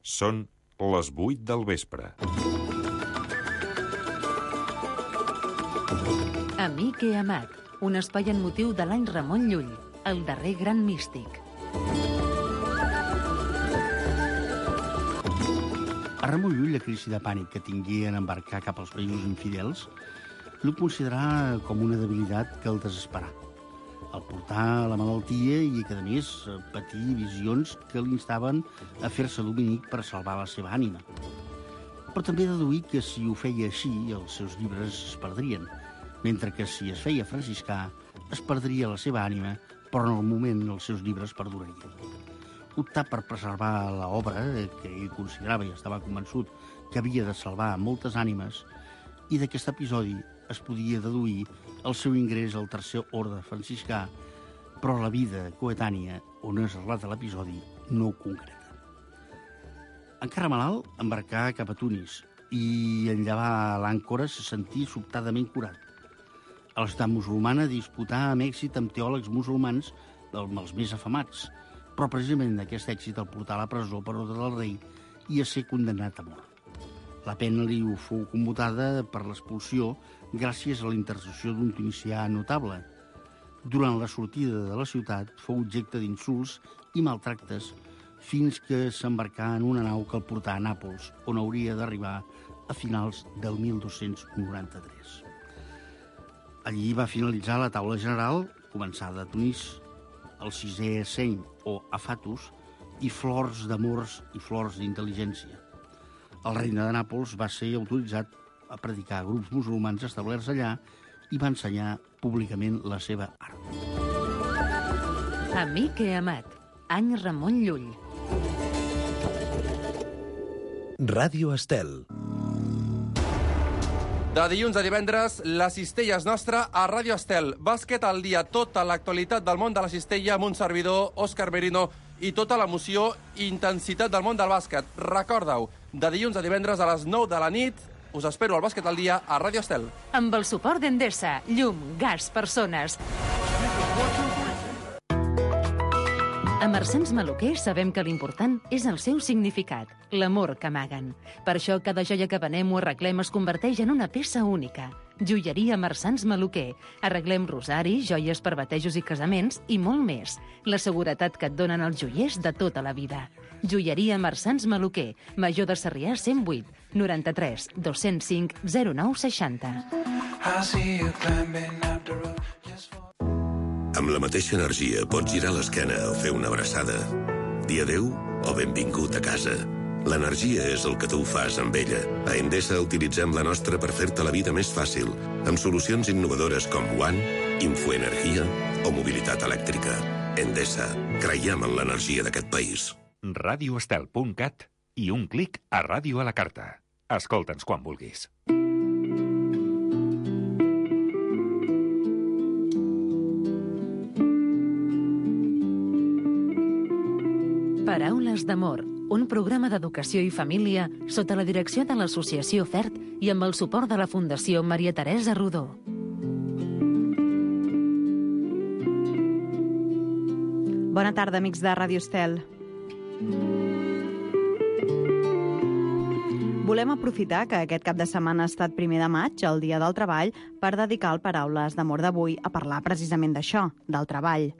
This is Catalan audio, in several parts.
Són les 8 del vespre. Amic i amat, un espai en motiu de l'any Ramon Llull, el darrer gran místic. A Ramon Llull, la crisi de pànic que tingué en embarcar cap als països infidels, no considerà com una debilitat que el desesperà. El portà a la malaltia i que, a més, patir visions que l'instaven a fer-se dominic per salvar la seva ànima. Però també deduí que si ho feia així, els seus llibres es perdrien, mentre que si es feia franciscà, es perdria la seva ànima, però en el moment els seus llibres perdurarien. Optar per preservar l'obra, que ell considerava i estava convençut que havia de salvar moltes ànimes, i d'aquest episodi es podia deduir el seu ingrés al tercer orde franciscà, però la vida coetània, on es relata l'episodi, no ho concreta. Encara malalt, embarcà cap a Tunis i en llevar l'àncora se sentí sobtadament curat. A la ciutat musulmana disputà amb èxit amb teòlegs musulmans dels més afamats, però precisament aquest èxit el portà a la presó per ordre del rei i a ser condemnat a mort. La pena li fou commutada per l'expulsió gràcies a la intercessió d'un tunisià notable. Durant la sortida de la ciutat fou objecte d'insults i maltractes fins que s'embarcà en una nau que el portà a Nàpols, on hauria d'arribar a finals del 1293. Allí va finalitzar la taula general, començada a Tunis, el sisè seny o afatus, i flors d'amors i flors d'intel·ligència. El regne de Nàpols va ser autoritzat a predicar a grups musulmans establerts allà i va ensenyar públicament la seva art. Amic i amat, any Ramon Llull. Ràdio Estel. De dilluns a divendres, la cistella és nostra a Ràdio Estel. Bàsquet al dia, tota l'actualitat del món de la cistella amb un servidor, Òscar Merino, i tota l'emoció i intensitat del món del bàsquet. Recorda-ho, de dilluns a divendres a les 9 de la nit, us espero al Bàsquet al dia a Ràdio Estel. Amb el suport d'Endesa, llum, gas, persones. A Marsans Maluquer sabem que l'important és el seu significat, l'amor que amaguen. Per això cada joia que venem o arreglem es converteix en una peça única. Joieria Marsans Maluquer. Arreglem rosari, joies per batejos i casaments i molt més. La seguretat que et donen els joiers de tota la vida. Joieria Marsans Maluquer. Major de Sarrià 108 93 205 09 60. Amb la mateixa energia pots girar l'esquena o fer una abraçada. Dir adéu o benvingut a casa. L'energia és el que tu fas amb ella. A Endesa utilitzem la nostra per fer-te la vida més fàcil, amb solucions innovadores com One, Infoenergia o mobilitat elèctrica. Endesa, creiem en l'energia d'aquest país. radioestel.cat i un clic a Ràdio a la Carta. Escolta'ns quan vulguis. Paraules d'amor, un programa d'educació i família sota la direcció de l'Associació FERT i amb el suport de la Fundació Maria Teresa Rodó. Bona tarda, amics de Ràdio Estel. Volem aprofitar que aquest cap de setmana ha estat 1 de maig, el Dia del Treball, per dedicar el Paraules d'amor d'avui a parlar precisament d'això, del treball.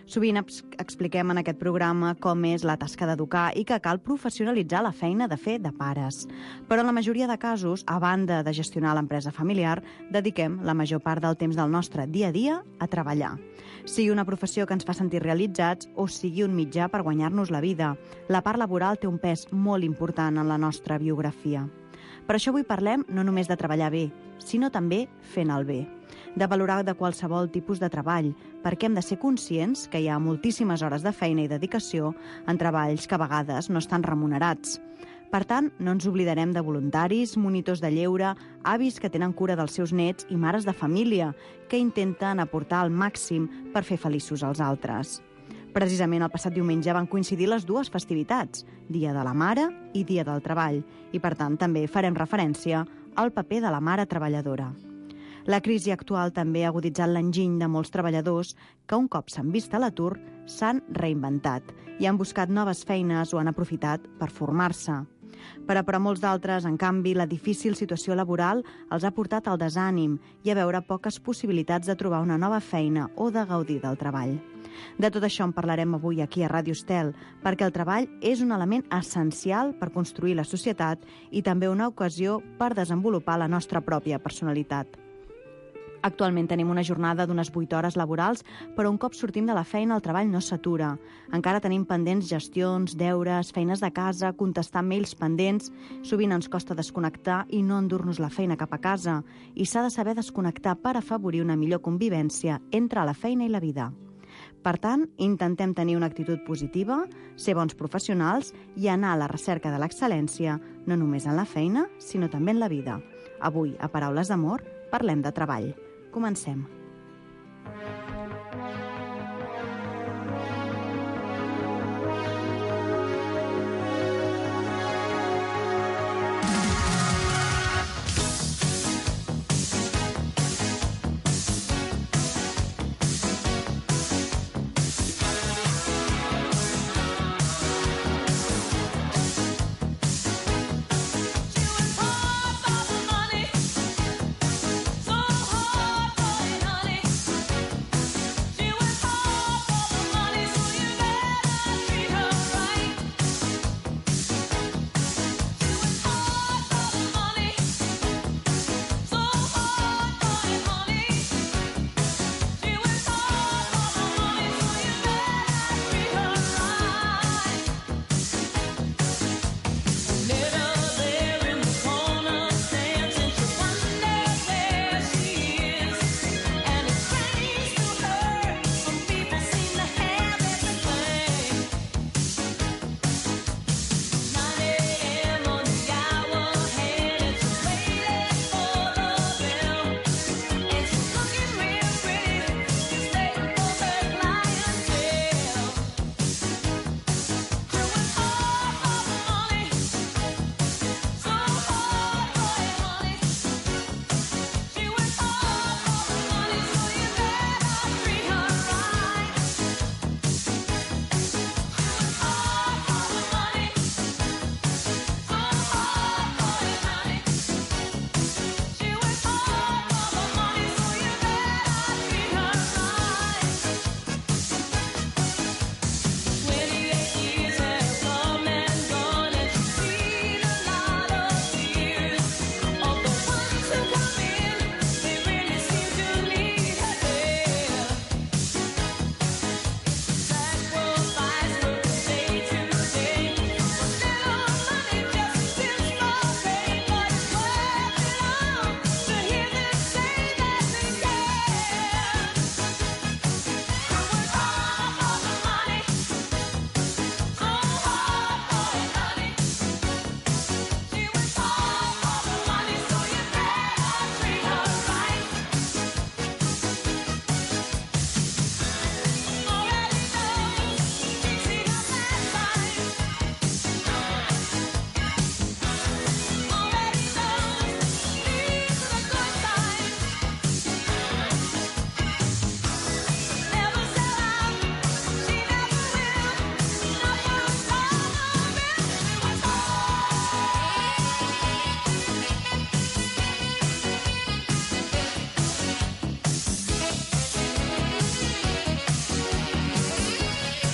Sovint expliquem en aquest programa com és la tasca d'educar i que cal professionalitzar la feina de fer de pares. Però en la majoria de casos, a banda de gestionar l'empresa familiar, dediquem la major part del temps del nostre dia a dia a treballar. Sigui una professió que ens fa sentir realitzats o sigui un mitjà per guanyar-nos la vida, la part laboral té un pes molt important en la nostra biografia. Per això avui parlem no només de treballar bé, sinó també fent el bé. De valorar de qualsevol tipus de treball, perquè hem de ser conscients que hi ha moltíssimes hores de feina i dedicació en treballs que a vegades no estan remunerats. Per tant, no ens oblidarem de voluntaris, monitors de lleure, avis que tenen cura dels seus nets i mares de família, que intenten aportar el màxim per fer feliços als altres. Precisament el passat diumenge van coincidir les dues festivitats, Dia de la Mare i Dia del Treball, i per tant també farem referència al paper de la mare treballadora. La crisi actual també ha aguditzat l'enginy de molts treballadors que un cop s'han vist a l'atur s'han reinventat i han buscat noves feines o han aprofitat per formar-se. Però per a molts d'altres, en canvi, la difícil situació laboral els ha portat al desànim i a veure poques possibilitats de trobar una nova feina o de gaudir del treball. De tot això en parlarem avui aquí a Ràdio Estel, perquè el treball és un element essencial per construir la societat i també una ocasió per desenvolupar la nostra pròpia personalitat. Actualment tenim una jornada d'unes 8 hores laborals, però un cop sortim de la feina el treball no s'atura. Encara tenim pendents gestions, deures, feines de casa, contestar mails pendents. Sovint ens costa desconnectar i no endur-nos la feina cap a casa. I s'ha de saber desconnectar per afavorir una millor convivència entre la feina i la vida. Per tant, intentem tenir una actitud positiva, ser bons professionals i anar a la recerca de l'excel·lència, no només en la feina, sinó també en la vida. Avui, a Paraules d'Amor, parlem de treball. Comencem.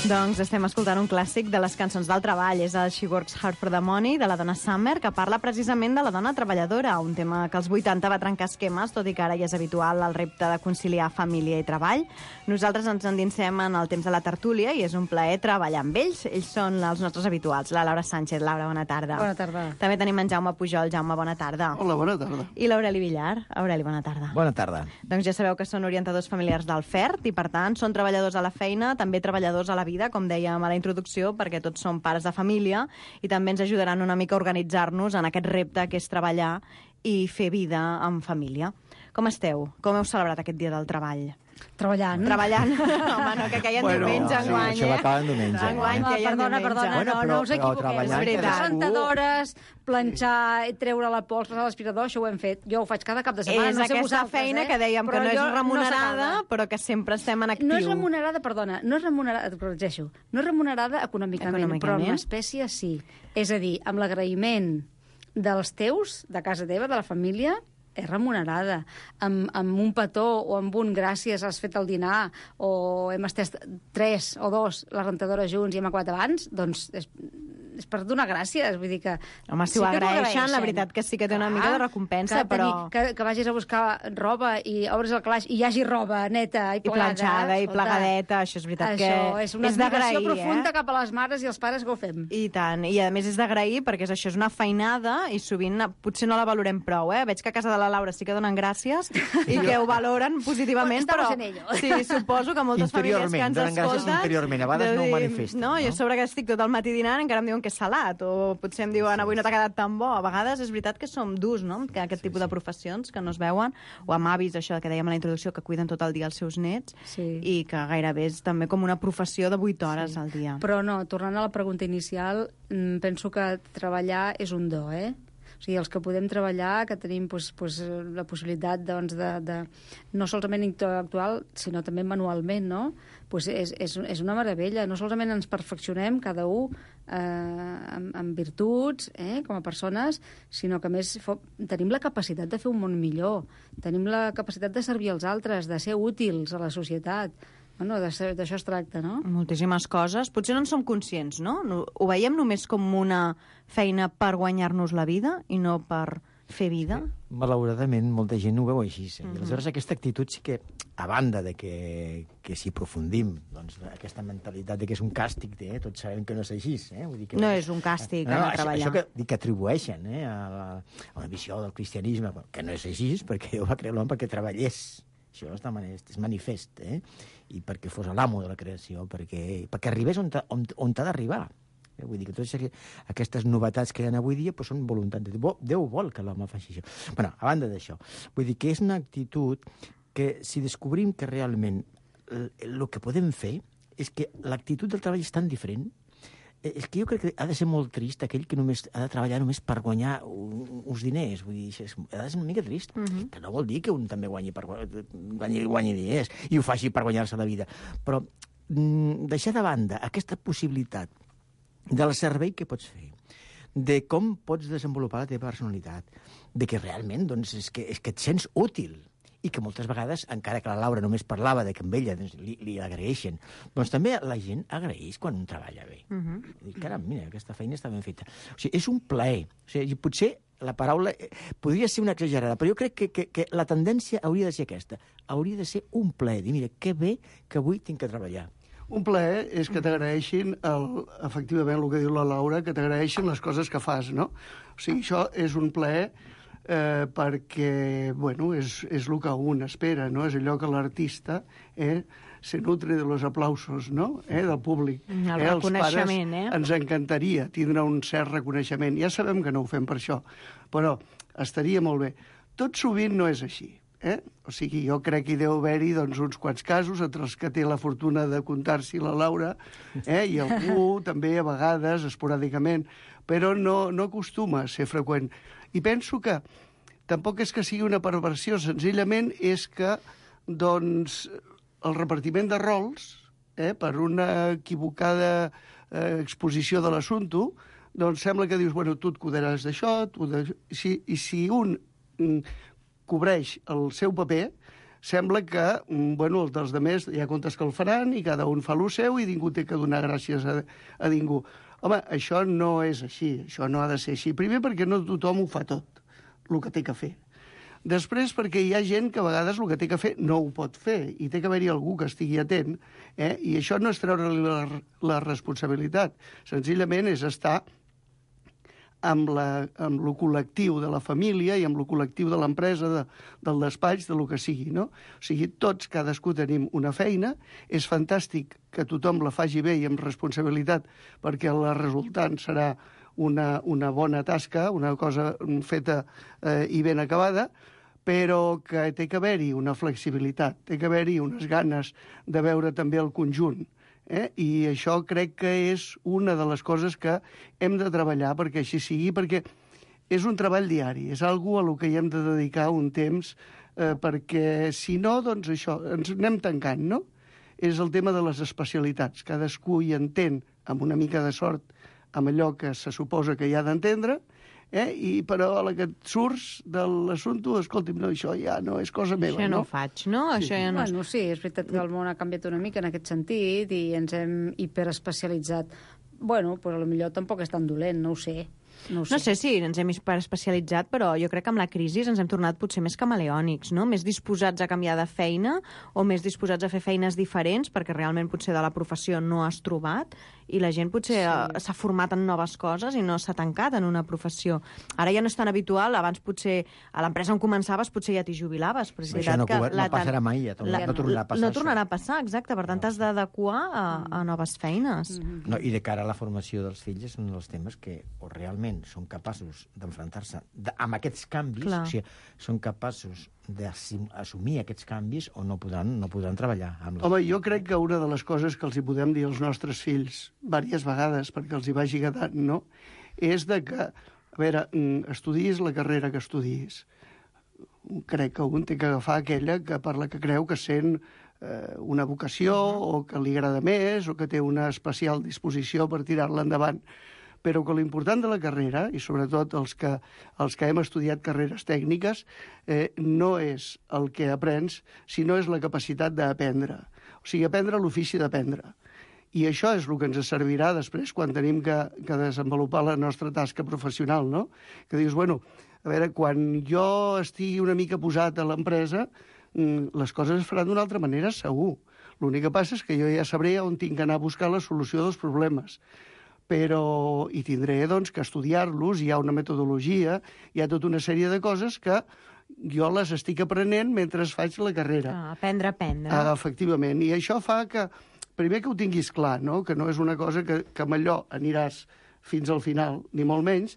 Doncs estem escoltant un clàssic de les cançons del treball. És el She Works Hard for the Money, de la dona Summer, que parla precisament de la dona treballadora, un tema que als 80 va trencar esquemes, tot i que ara ja és habitual el repte de conciliar família i treball. Nosaltres ens endinsem en el temps de la tertúlia i és un plaer treballar amb ells. Ells són els nostres habituals. La Laura Sánchez. Laura, bona tarda. Bona tarda. També tenim en Jaume Pujol. Jaume, bona tarda. Hola, bona tarda. I l'Aureli Villar. Aureli, bona tarda. Bona tarda. Doncs ja sabeu que són orientadors familiars del FERT i, per tant, són treballadors a la feina, també treballadors a la vida, com dèiem a la introducció, perquè tots som pares de família i també ens ajudaran una mica a organitzar-nos en aquest repte que és treballar i fer vida en família. Com esteu? Com heu celebrat aquest dia del treball? Treballant. Home, no, que queien diumenge enguany, Això va acabar en diumenge. Enguany queien Perdona, no us equivoqueu. Les rentadores, planxar, treure la pols, passar l'aspirador, això ho hem fet. Jo ho faig cada cap de setmana. És aquesta feina que dèiem que no és remunerada, però que sempre estem en actiu. No és remunerada, perdona, no és remunerada, et corregeixo, no és remunerada econòmicament, però en l'espècie sí. És a dir, amb l'agraïment dels teus, de casa teva, de la família, és remunerada. Amb un petó o amb un gràcies, has fet el dinar, o hem estès 3 o 2 la rentadora junts i hem acabat abans, doncs és per donar gràcies, vull dir que... Home, si ho agraeixen, la veritat que sí que té una mica de recompensa, però... Que vagis a buscar roba i obres el calaix i hi hagi roba neta i plegada... I planxada i plegadeta, això és veritat que... Això és una admiració profunda cap a les mares i els pares que ho fem. I tant, i a més és d'agrair perquè això és una feinada i sovint potser no la valorem prou, Veig que a casa de la Laura sí que donen gràcies i que ho valoren positivament, però... Sí, suposo que moltes famílies que ens escolten... Donen gràcies interiorment, a vegades no ho manifesten. No, jo sobre que estic tot el matí dinant encara em diuen que és salat, o potser em diuen avui no t'ha quedat tan bo. A vegades és veritat que som durs, no?, que aquest tipus de professions que no es veuen, o amb avis, això que dèiem a la introducció, que cuiden tot el dia els seus nets, i que gairebé és també com una professió de 8 hores al dia. Però no, tornant a la pregunta inicial, penso que treballar és un do, O sigui, els que podem treballar, que tenim la possibilitat de no solament intel·lectual, sinó també manualment, no? És una meravella. No solament ens perfeccionem cada un amb virtuts, com a persones, sinó que a més tenim la capacitat de fer un món millor, tenim la capacitat de servir als altres, de ser útils a la societat. Bueno, d'això es tracta, no? Moltíssimes coses. Potser no en som conscients, no? Ho veiem només com una feina per guanyar-nos la vida i no per fer vida? Malauradament, molta gent ho veu així. I aleshores aquesta actitud sí que, a banda de que si aprofundim doncs, aquesta mentalitat de que és un càstig, tots sabem que no és així. Vull dir que, no és un càstig anar a treballar. Això que atribueixen a la visió del cristianisme, que no és així, perquè Déu va crear l'home perquè treballés. Això és manifest, i perquè fos l'amo de la creació, perquè arribés on t'ha d'arribar. Vull dir que totes aquestes novetats que hi ha avui dia són voluntat de Déu. Déu vol que l'home faci això. Bueno, a banda d'això, vull dir que és una actitud que si descobrim que realment el que podem fer és que l'actitud del treball és tan diferent. És que jo crec que ha de ser molt trist aquell que només ha de treballar només per guanyar uns diners. Vull dir, ha de ser una mica trist. Que no vol dir que un també guanyi diners i ho faci per guanyar-se la vida. Però deixar de banda aquesta possibilitat del servei que pots fer, de com pots desenvolupar la teva personalitat, de que realment és que et sents útil, i que moltes vegades, encara que la Laura només parlava de que amb ella li agraeixen, doncs també la gent agraeix quan un treballa bé. Caram, mira, aquesta feina està ben feta. O sigui, és un plaer. O sigui, potser la paraula podria ser una exagerada, però jo crec que la tendència hauria de ser aquesta. Hauria de ser un plaer. Dir, mira, que bé que avui tinc que treballar. Un plaer és que t'agraeixin, efectivament, el que diu la Laura, que t'agraeixin les coses que fas, no? O sigui, això és un plaer perquè, bueno, és el que un espera, no? És allò que l'artista se nutre de los aplausos, no?, del públic. El reconeixement, Els pares ens encantaria tindre un cert reconeixement. Ja sabem que no ho fem per això, però estaria molt bé. Tot sovint no és així. O sigui, jo crec que hi deu haver-hi doncs, uns quants casos, entre els que té la fortuna de comptar-s'hi la Laura, i algú també a vegades, esporàdicament, però no acostuma a ser freqüent. I penso que tampoc és que sigui una perversió, senzillament és que doncs, el repartiment de rols, per una equivocada exposició de l'assumpte, doncs sembla que dius, bueno, tu et cuidaràs d'això, i si un cobreix el seu paper, sembla que, bueno, els dels altres ja comptes que el faran i cada un fa el seu i ningú té que donar gràcies a ningú. Home, això no és així, això no ha de ser així. Primer perquè no tothom ho fa tot, el que té que fer. Després perquè hi ha gent que a vegades el que té que fer no ho pot fer i té que haver-hi algú que estigui atent, i això no és treure-li la responsabilitat, senzillament és estar amb el col·lectiu de la família i amb el col·lectiu de l'empresa, del despatx, del que sigui, no? O sigui, tots, cadascú tenim una feina, és fantàstic que tothom la faci bé i amb responsabilitat perquè la resultant serà una bona tasca, una cosa feta i ben acabada, però que té que haver-hi una flexibilitat, té que haver-hi unes ganes de veure també el conjunt. I això crec que és una de les coses que hem de treballar perquè així sigui, perquè és un treball diari, és algo a lo que hi hem de dedicar un temps, perquè si no, doncs això, ens anem tancant, no? És el tema de les especialitats. Cadascú hi entén, amb una mica de sort, amb allò que se suposa que hi ha d'entendre, però a la que et surts de l'assumpte, escolti'm, no, això ja no és cosa meva. Això no ho faig, no? Sí. Això ja no... Bueno, sí, és veritat que el món ha canviat una mica en aquest sentit i ens hem hiperespecialitzat. Bueno, doncs potser tampoc és tan dolent, no ho sé. No sé si ens hem especialitzat, però jo crec que amb la crisi ens hem tornat potser més camaleònics, no? Més disposats a canviar de feina o més disposats a fer feines diferents perquè realment potser de la professió no has trobat i la gent potser s'ha format en noves coses i no s'ha tancat en una professió. Ara ja no és tan habitual, abans potser a l'empresa on començaves potser ja t'hi jubilaves. Però és això no passarà mai, no tornarà a passar. No tornarà a passar, exacte, per tant t'has d'adequar a noves feines. No, i de cara a la formació dels fills és un dels temes que o realment són capaços d'enfrontar-se amb aquests canvis, o sigui, són capaços d'assumir aquests canvis o no podran treballar amb les... Home, jo crec que una de les coses que els hi podem dir als nostres fills diverses vegades perquè els hi vagi quedant, no?, és de que, a veure, estudiïs la carrera que estudiïs. Crec que un té que agafar aquella per la que creu que sent una vocació o que li agrada més o que té una especial disposició per tirar-la endavant. Però que l'important de la carrera, i sobretot els que hem estudiat carreres tècniques, no és el que aprens, sinó és la capacitat d'aprendre. O sigui, aprendre l'ofici d'aprendre. I això és el que ens servirà després quan tenim que desenvolupar la nostra tasca professional, no? Que dius, bueno, a veure, quan jo estigui una mica posat a l'empresa, les coses es faran d'una altra manera, segur. L'únic que passa és que jo ja sabré on tinc que anar a buscar la solució dels problemes. Però hi tindré doncs, que estudiar-los, hi ha una metodologia, hi ha tota una sèrie de coses que jo les estic aprenent mentre faig la carrera. Aprendre. Efectivament, i això fa que, primer que ho tinguis clar, no? Que no és una cosa que amb allò aniràs fins al final, ni molt menys,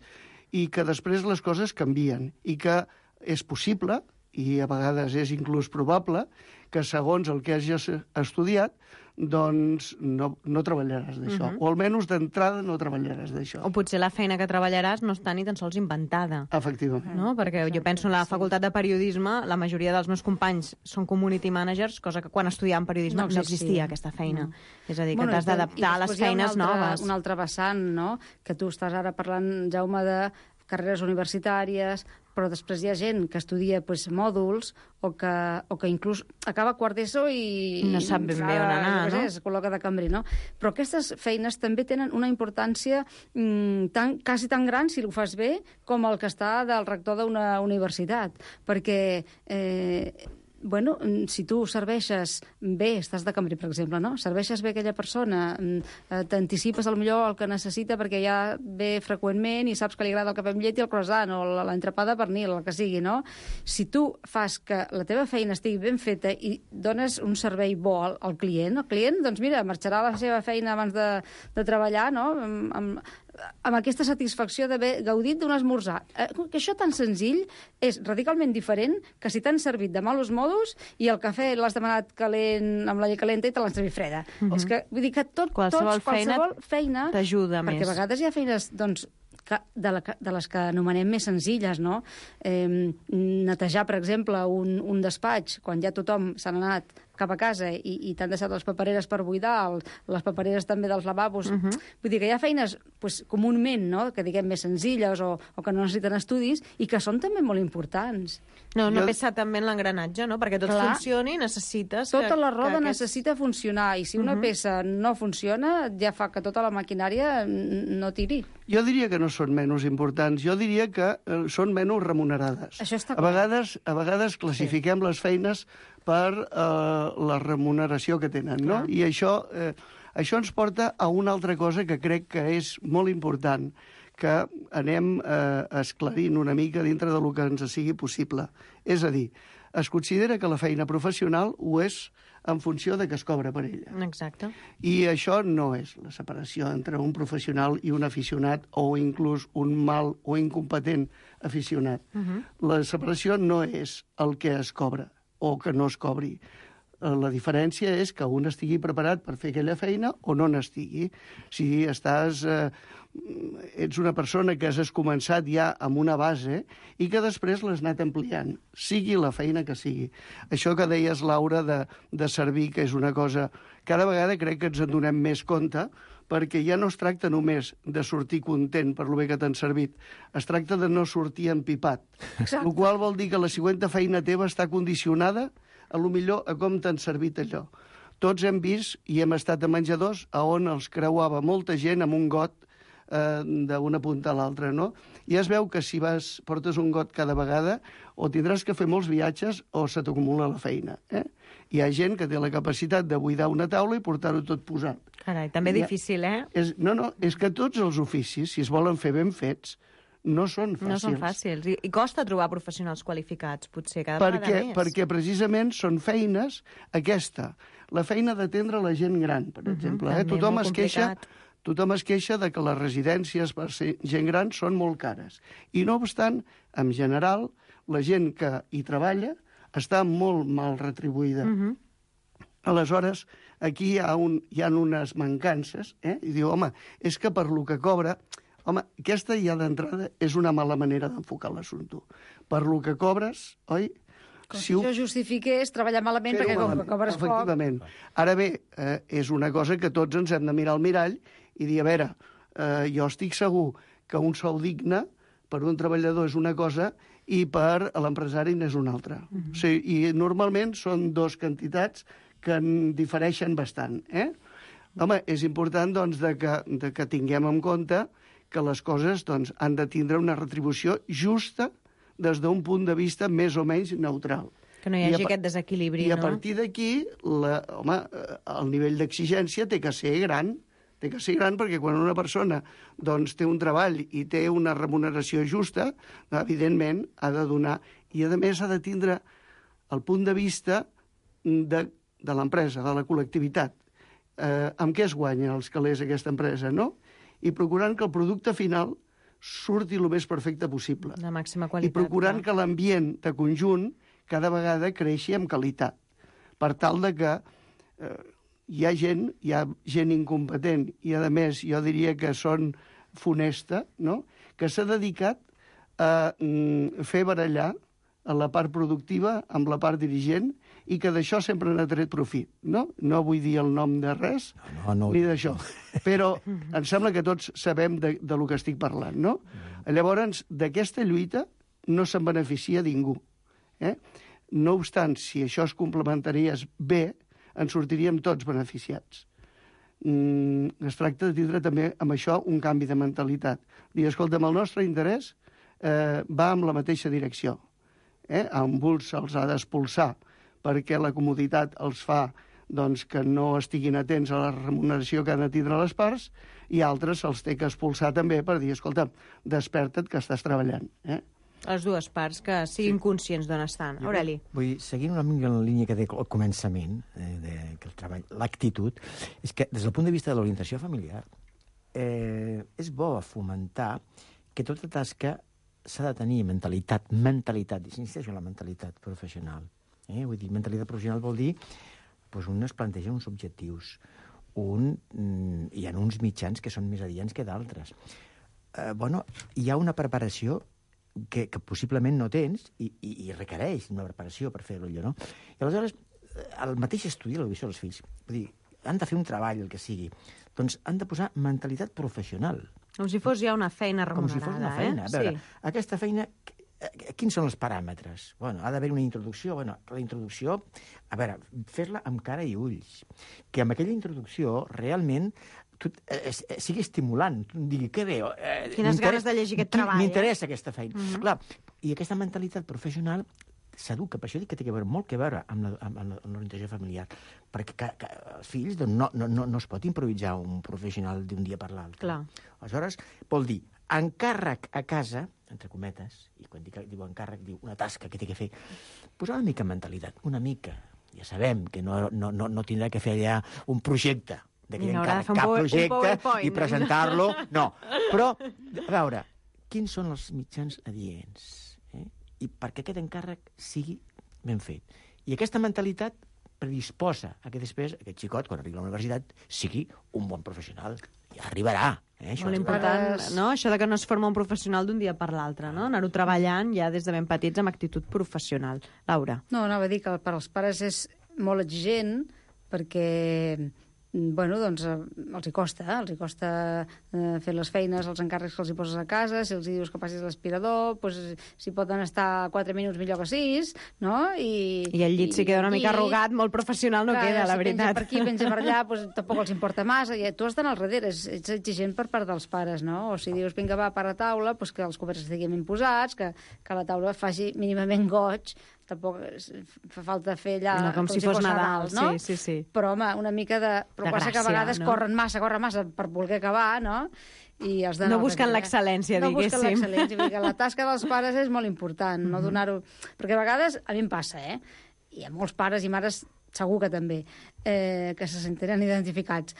i que després les coses canvien, i que és possible, i a vegades és inclús probable, que segons el que hagis estudiat, doncs no treballaràs d'això. O almenys d'entrada no treballaràs d'això. O potser la feina que treballaràs no està ni tan sols inventada. Efectivament. No? Perquè jo penso en la facultat de periodisme, la majoria dels meus companys són community managers, cosa que quan estudiàvem periodisme no existia aquesta feina. És a dir, que t'has d'adaptar a les feines noves. Un altre vessant, no? Que tu estàs ara parlant, Jaume, de carreres universitàries, però després hi ha gent que estudia mòduls o que inclús acaba quart d'ESO i no sap ben bé on anar, no? Es col·loca de cambrer, no? Però aquestes feines també tenen una importància quasi tan gran, si ho fas bé, com el que està del rector d'una universitat. Perquè si tu serveixes bé, estàs de cambrer, per exemple, no? Serveixes bé aquella persona, t'anticipes millor el que necessita perquè ja ve freqüentment i saps que li agrada el cafè amb llet i el croissant o l'entrepà de pernil, el que sigui, no? Si tu fas que la teva feina estigui ben feta i dones un servei bo al client, el client, doncs mira, marxarà a la seva feina abans de treballar, no?, amb aquesta satisfacció d'haver gaudit d'un esmorzar. Que això tan senzill és radicalment diferent que si t'han servit de malos modos i el cafè l'has demanat calent amb la llet calenta i te l'han servit freda. És que, vull dir que qualsevol feina t'ajuda més. Perquè a vegades hi ha feines, doncs, de les que anomenem més senzilles, no? Netejar, per exemple, un despatx, quan ja tothom s'ha anat cap a casa i t'han deixat les papereres per buidar, les papereres també dels lavabos. Vull dir que hi ha feines comunament, no?, que diguem més senzilles o que no necessiten estudis i que són també molt importants. No pesa també en l'engranatge, no? Perquè tot funcioni necessites... Tota la roda necessita funcionar i si una peça no funciona ja fa que tota la maquinària no tiri. Jo diria que no són menys importants, jo diria que són menys remunerades. Això està clar. A vegades classifiquem les feines per la remuneració que tenen, no? I això ens porta a una altra cosa que crec que és molt important, que anem esclarint una mica dintre del que ens sigui possible. És a dir, es considera que la feina professional ho és en funció de què es cobra per ella. Exacte. I això no és la separació entre un professional i un aficionat o inclús un mal o incompetent aficionat. La separació no és el que es cobra o que no es cobri. La diferència és que un estigui preparat per fer aquella feina o no n'estigui. Si ets una persona que has començat ja amb una base i que després l'has anat ampliant, sigui la feina que sigui. Això que deies, Laura, de servir, que és una cosa... Cada vegada crec que ens en donem més compte, perquè ja no es tracta només de sortir content per lo bé que t'han servit, es tracta de no sortir empipat. El qual vol dir que la següent feina teva està condicionada a lo millor a com t'han servit allò. Tots hem vist i hem estat a menjadors on els creuava molta gent amb un got d'una punta a l'altra, no? I es veu que si portes un got cada vegada o tindràs que fer molts viatges o se t'acumula la feina. Hi ha gent que té la capacitat de buidar una taula i portar-ho tot posat. Carai, també difícil, eh? És que tots els oficis, si es volen fer ben fets, no són fàcils. No són fàcils. I costa trobar professionals qualificats, potser, cada vegada més. Perquè precisament són feines, la feina d'atendre la gent gran, per exemple. Tothom es queixa de que les residències per ser gent gran són molt cares. I no obstant, en general, la gent que hi treballa està molt mal retribuïda. Aleshores, aquí hi ha unes mancances, i diu, home, és que per lo que cobra... Home, aquesta ja d'entrada és una mala manera d'enfocar l'assumpte. Per lo que cobres, oi? Com si això justifiqués treballar malament perquè com que cobres poc... Efectivament. Ara bé, és una cosa que tots ens hem de mirar al mirall i dir, a veure, jo estic segur que un sou digne per un treballador és una cosa i per l'empresari n'és una altra. O sigui, i normalment són dues quantitats que en difereixen bastant. Home, és important doncs, que tinguem en compte que les coses doncs, han de tindre una retribució justa des d'un punt de vista més o menys neutral. Que no hi hagi aquest desequilibri, no? I a partir d'aquí, el nivell d'exigència té que ser gran. Té que ser gran perquè quan una persona doncs, té un treball i té una remuneració justa, evidentment ha de donar... I a més ha de tindre el punt de vista de l'empresa, de la col·lectivitat. Amb què es guanyen els calés aquesta empresa, no? I procurant que el producte final surti el més perfecte possible. De màxima qualitat. I procurant que l'ambient de conjunt cada vegada creixi amb qualitat. Per tal de que hi ha gent incompetent i, a més, jo diria que són funesta, no? Que s'ha dedicat a fer barallar a la part productiva amb la part dirigent i que d'això sempre n'ha tret profit, no? No vull dir el nom de res, ni d'això. Però em sembla que tots sabem de lo que estic parlant, no? Llavors, d'aquesta lluita no se'n beneficia ningú. No obstant, si això es complementaria bé, en sortiríem tots beneficiats. Es tracta de tindre també amb això un canvi de mentalitat. Dir, escolta'm, el nostre interès va en la mateixa direcció. A uns se'ls ha d'expulsar perquè la comoditat els fa doncs, que no estiguin atents a la remuneració que han de tindre les parts, i altres se'ls té que expulsar també per dir, escolta, desperta't que estàs treballant. Les dues parts que siguin conscients d'on estan. Aureli. Vull seguir una mica en la línia que deia al començament, que el treball, l'actitud, és que des del punt de vista de l'orientació familiar és bo fomentar que tota tasca s'ha de tenir mentalitat, insisteixo en la mentalitat professional. Vull dir, mentalitat professional vol dir doncs un es planteja uns objectius, hi ha uns mitjans que són més adients que d'altres. Hi ha una preparació que possiblement no tens i requereix una preparació per fer-ho allò, no? I aleshores, el mateix estudi de l'educació dels fills, vull dir, han de fer un treball, el que sigui, doncs han de posar mentalitat professional. Com si fos ja una feina remunerada, Com si fos una feina. A veure, aquesta feina, quins són els paràmetres? Ha d'haver una introducció. La introducció, a veure, fer-la amb cara i ulls. Que amb aquella introducció, realment, sigui estimulant. Digui, que bé... Quines ganes de llegir aquest treball. M'interessa aquesta feina. Clar, i aquesta mentalitat professional s'educa. Per això dic que té que veure molt que veure amb l'orientació familiar. Perquè els fills no es pot improvisar un professional d'un dia per l'altre. Aleshores, vol dir encàrrec a casa, entre cometes, i quan diu encàrrec, diu una tasca que té que fer, posar una mica mentalitat, una mica. ja sabem que no tindrà que fer allà un projecte, de I no haurà de fer un PowerPoint, i presentar-lo. No, però, a veure, quins són els mitjans adients? I perquè aquest encàrrec sigui ben fet. I aquesta mentalitat predisposa a que després aquest xicot, quan arribi a la universitat, sigui un bon professional. I arribarà. Molt important, no? Això de que no es forma un professional d'un dia per l'altre, no? Anar-ho treballant ja des de ben petits amb actitud professional. Laura. No, anava a dir que per als pares és molt exigent perquè bueno, doncs els hi costa fer les feines, els encàrrecs que els hi poses a casa, si els hi dius que passis l'aspirador, doncs, si poden estar 4 minuts millor que 6, no? I el llit si queda una mica arrugat, molt professional no queda, la veritat. Penja per aquí, penja per allà, doncs tampoc els importa massa, i tu has d'anar al darrere, ets exigent per part dels pares, no? O si dius, vinga, va, para taula, doncs que els coberts estiguin ben posats, que la taula faci mínimament goig, tampoc fa falta fer allà... No, com si fos Nadal, no? Sí. Però, home, una mica de... Però passa que a vegades corren massa per voler acabar, no? I has no busquen l'excel·lència, diguéssim. No busquen l'excel·lència. La tasca dels pares és molt important, no donar-ho... Perquè a vegades, a mi em passa, i a molts pares i mares segur que també, que se sentiran identificats.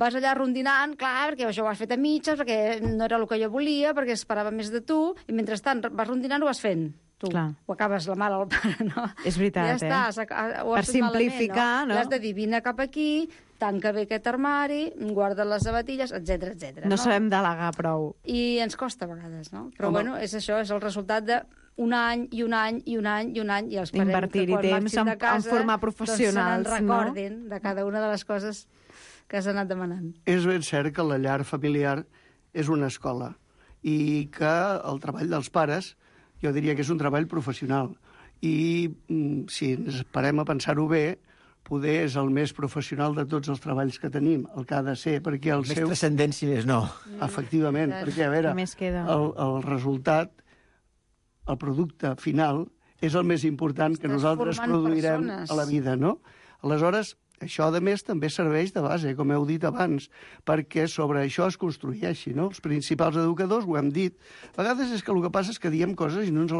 Vas allà rondinant, clar, perquè això ho has fet a mitges, perquè no era el que jo volia, perquè esperava més de tu, i mentrestant vas rondinant ho vas fent. Tu ho acabes la mare al pare, no? És veritat, ja està, ho per has simplificar, malament, no? L'has de dir, vine cap aquí, tanca bé aquest armari, guarda les sabatilles, etc. No sabem delegar prou. I ens costa a vegades, no? Però bueno, és això, és el resultat d'un any i un any i un any i un any, i els parents invertir-hi temps en formar professionals, doncs se recordin de cada una de les coses que s'han anat demanant. És ben cert que la llar familiar és una escola i que el treball dels pares jo diria que és un treball professional. I si ens parem a pensar-ho bé, poder és el més professional de tots els treballs que tenim, el que ha de ser, perquè el més transcendent, si més no. Efectivament, perquè, a veure, el resultat, el producte final, és el més important que nosaltres produirem a la vida, no? Aleshores, això, a més, també serveix de base, com heu dit abans, perquè sobre això es construeixi, no? Els principals educadors, ho hem dit, a vegades és que el que passa és que diem coses i no ens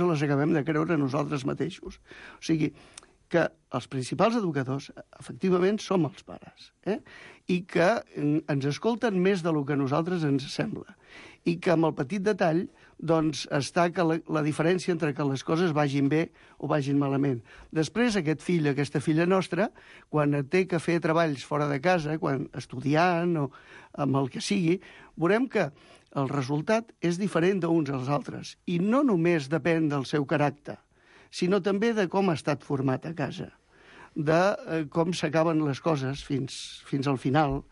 les acabem de creure nosaltres mateixos. O sigui, que els principals educadors, efectivament, som els pares, i que ens escolten més del que a nosaltres ens sembla. I que amb el petit detall doncs, està que la diferència entre que les coses vagin bé o vagin malament. Després, aquest fill, aquesta filla nostra, quan té que fer treballs fora de casa, quan estudiant o amb el que sigui, veurem que el resultat és diferent d'uns als altres. I no només depèn del seu caràcter, sinó també de com ha estat format a casa, de com s'acaben les coses fins al final,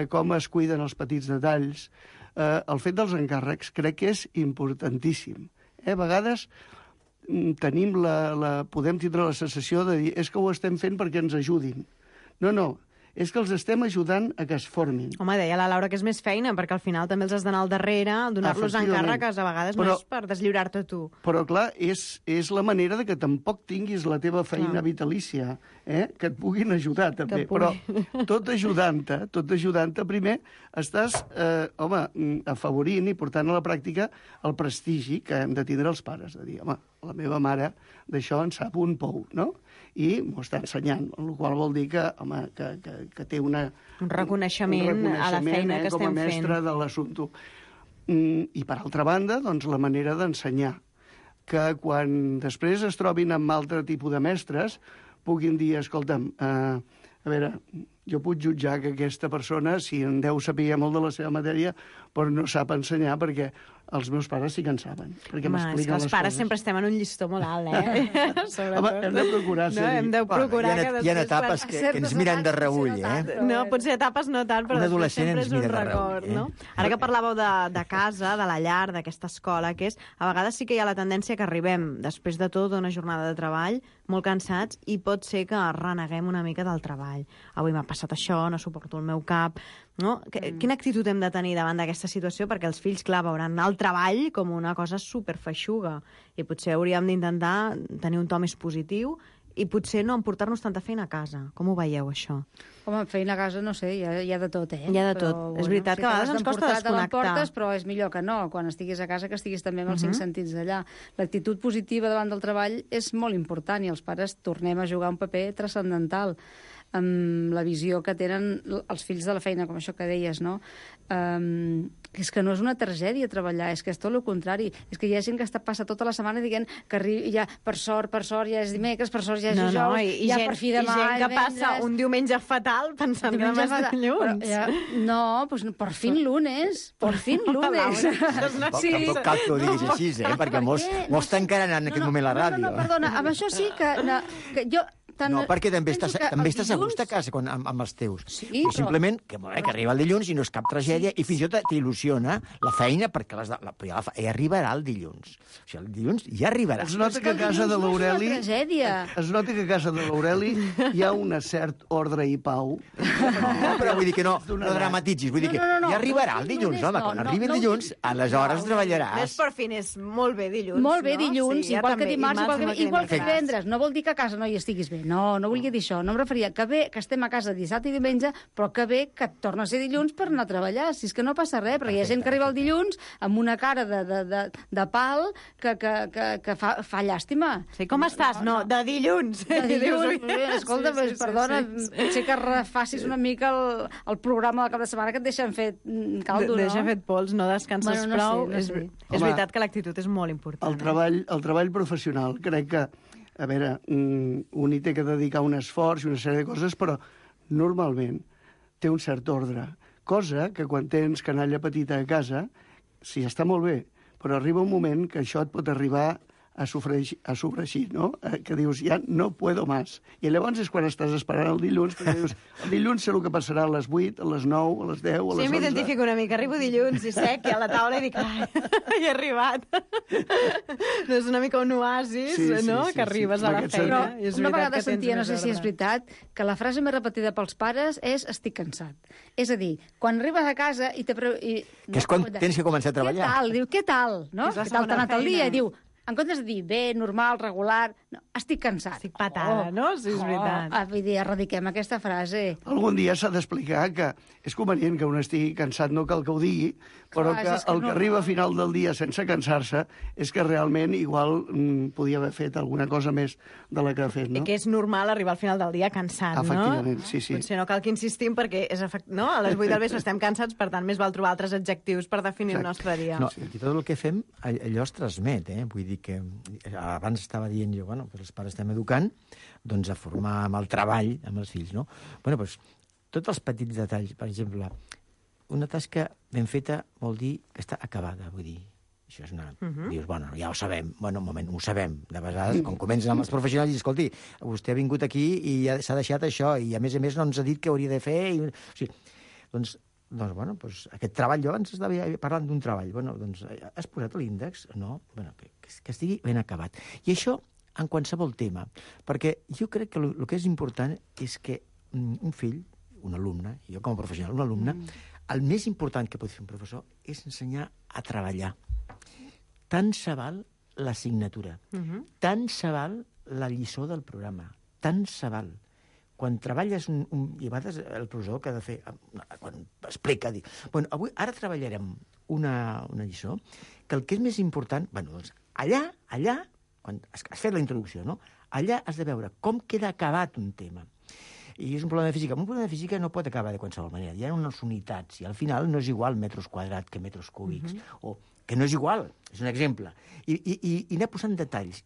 com es cuiden els petits detalls. El fet dels encàrrecs crec que és importantíssim. A vegades podem tindre la sensació de dir és que ho estem fent perquè ens ajudin. No, és que els estem ajudant a que es formin. Home, deia la Laura que és més feina, perquè al final també els has d'anar al darrere, donar-los encàrrecs, a vegades no és per deslliurar-te tu. Però, clar, és la manera de que tampoc tinguis la teva feina vitalícia, que et puguin ajudar, també. Però tot ajudant-te, primer estàs, afavorint i portant a la pràctica el prestigi que hem de tindre els pares, de dir, home, la meva mare d'això en sap un pou, no? I m'ho està ensenyant, el qual vol dir que, home, que té un reconeixement a la feina que estem fent. Com a mestre de l'assumpte. I, per altra banda, doncs, la manera d'ensenyar. Que quan després es trobin amb altre tipus de mestres, puguin dir, escolta'm, a veure, jo puc jutjar que aquesta persona, si en deu saber molt de la seva matèria, però no sap ensenyar perquè els meus pares sí que en saben. Perquè m'expliquen les coses. Els pares sempre estem en un llistó molt alt, Home, hem de procurar ser-hi. Hem de procurar hi ha etapes que ens miren de reüll, No, potser etapes no tant, però després sempre és un record, no? Ara que parlàveu de casa, de la llar, d'aquesta escola, que és, a vegades sí que hi ha la tendència que arribem, després de tot, d'una jornada de treball, molt cansats, i pot ser que reneguem una mica del treball. Avui m'ha passat això, no suporto el meu cap, no? Quina actitud hem de tenir davant d'aquesta situació? Perquè els fills, clar, veuran el treball com una cosa superfeixuga i potser hauríem d'intentar tenir un to més positiu i potser no emportar-nos tanta feina a casa. Com ho veieu, això? Home, feina a casa, no sé, hi ha de tot, Hi ha de tot. És veritat que a vegades ens costa desconnectar. Però és millor que no, quan estiguis a casa, que estiguis també amb els 5 sentits d'allà. L'actitud positiva davant del treball és molt important i els pares tornem a jugar un paper transcendental amb la visió que tenen els fills de la feina, com això que deies, no? És que no és una tragèdia treballar, és que és tot el contrari. És que hi ha gent que passa tota la setmana dient que ja, per sort, ja és dimecres, per sort ja és dijous, ja per fi demà... I gent que passa un diumenge fatal pensant que demà és dilluns. No, doncs per fin lunes, per fin lunes. Tampoc cal que ho diguis així, perquè molts tancaran en aquest moment la ràdio. No, perdona, amb això sí que jo... No, perquè també estàs a gust a casa amb els teus. Sí, simplement que arriba el dilluns i no és cap tragèdia i fins i tot t'il·lusiona la feina perquè arribarà el dilluns. O sigui, el dilluns ja arribarà. Es nota que a casa de l'Aureli hi ha un cert ordre i pau. No, però vull dir que no dramatitzis. Vull dir que ja arribarà el dilluns, home. Quan arribi el dilluns, aleshores treballaràs. Més per fin és molt bé dilluns, no? Molt bé dilluns, igual que dimarts, igual que divendres. No vol dir que a casa no hi estiguis bé. No volia dir això. No em referia que bé que estem a casa dissabte i diumenge, però que bé que torna a ser dilluns per anar a treballar. Si és que no passa res, perquè hi ha gent que arriba el dilluns amb una cara de pal que fa llàstima. Sí, com estàs? No, de dilluns. De dilluns. Escolta, perdona, potser que refacis una mica el programa del cap de setmana que et deixen fet caldo, no? Deixa fet pols, no descanses prou. És veritat que l'actitud és molt important. El treball professional, crec que a veure, un hi té que dedicar un esforç i una sèrie de coses, però normalment té un cert ordre. Cosa que quan tens canalla petita a casa, sí, està molt bé, però arriba un moment que això et pot arribar a sofregir, no? Que dius, ja no puedo más. I llavors és quan estàs esperant el dilluns, perquè dius, el dilluns sé el que passarà a les 8, a les 9, a les 10, a les 11... Sí, m'identifico una mica. Arribo dilluns i sec i a la taula i dic, ai, he arribat. No és una mica un oasis, no? Que arribes a la feina. Una vegada sentia, no sé si és veritat, que la frase més repetida pels pares és estic cansat. És a dir, quan arribes a casa i... Que és quan tens que començar a treballar. Què tal? Diu, què tal? Què tal t'ha anat el dia? I diu, en comptes de dir bé, normal, regular, no, estic cansat. Estic patada, no? Sí, és veritat. Vull dir, erradiquem aquesta frase. Algun dia s'ha d'explicar que és convenient que un estigui cansat, no cal que ho digui, però que el que arriba a final del dia sense cansar-se és que realment igual podia haver fet alguna cosa més de la que ha fet, no? I que és normal arribar al final del dia cansat, no? Efectivament, sí. Potser no cal que insistim perquè no? A les 8 del vespre estem cansats, per tant, més val trobar altres adjectius per definir el nostre dia. No, i tot el que fem, allò es transmet, Vull dir que abans estava dient jo, bueno, els pares estem educant, doncs a formar amb el treball, amb els fills, no? Bueno, doncs, tots els petits detalls, per exemple, una tasca ben feta vol dir que està acabada, vull dir, això és una... Dius, bueno, ja ho sabem, bueno, un moment, ho sabem, de vegades, quan comencen amb els professionals, i dius, escolti, vostè ha vingut aquí i s'ha deixat això, i a més no ens ha dit què hauria de fer, o sigui, doncs, bueno, doncs, aquest treball, jo abans estava parlant d'un treball, bueno, doncs, has posat l'índex? No? Bueno, que estigui ben acabat. I això en qualsevol tema, perquè jo crec que el que és important és que un fill, un alumne, jo com a professional, un alumne, el més important que pot fer un professor és ensenyar a treballar. Tant se val l'assignatura, tant se val la lliçó del programa, tant se val. Quan treballes i a vegades el professor que ha de fer, quan explica, diu, bueno, ara treballarem una lliçó, que el que és més important, bueno, doncs, allà, quan has fet la introducció, no? Allà has de veure com queda acabat un tema. I és un problema de física. Un problema de física no pot acabar de qualsevol manera. Hi ha unes unitats, i al final no és igual metres quadrats que metres cúbics, o que no és igual, és un exemple. I anar posant detalls,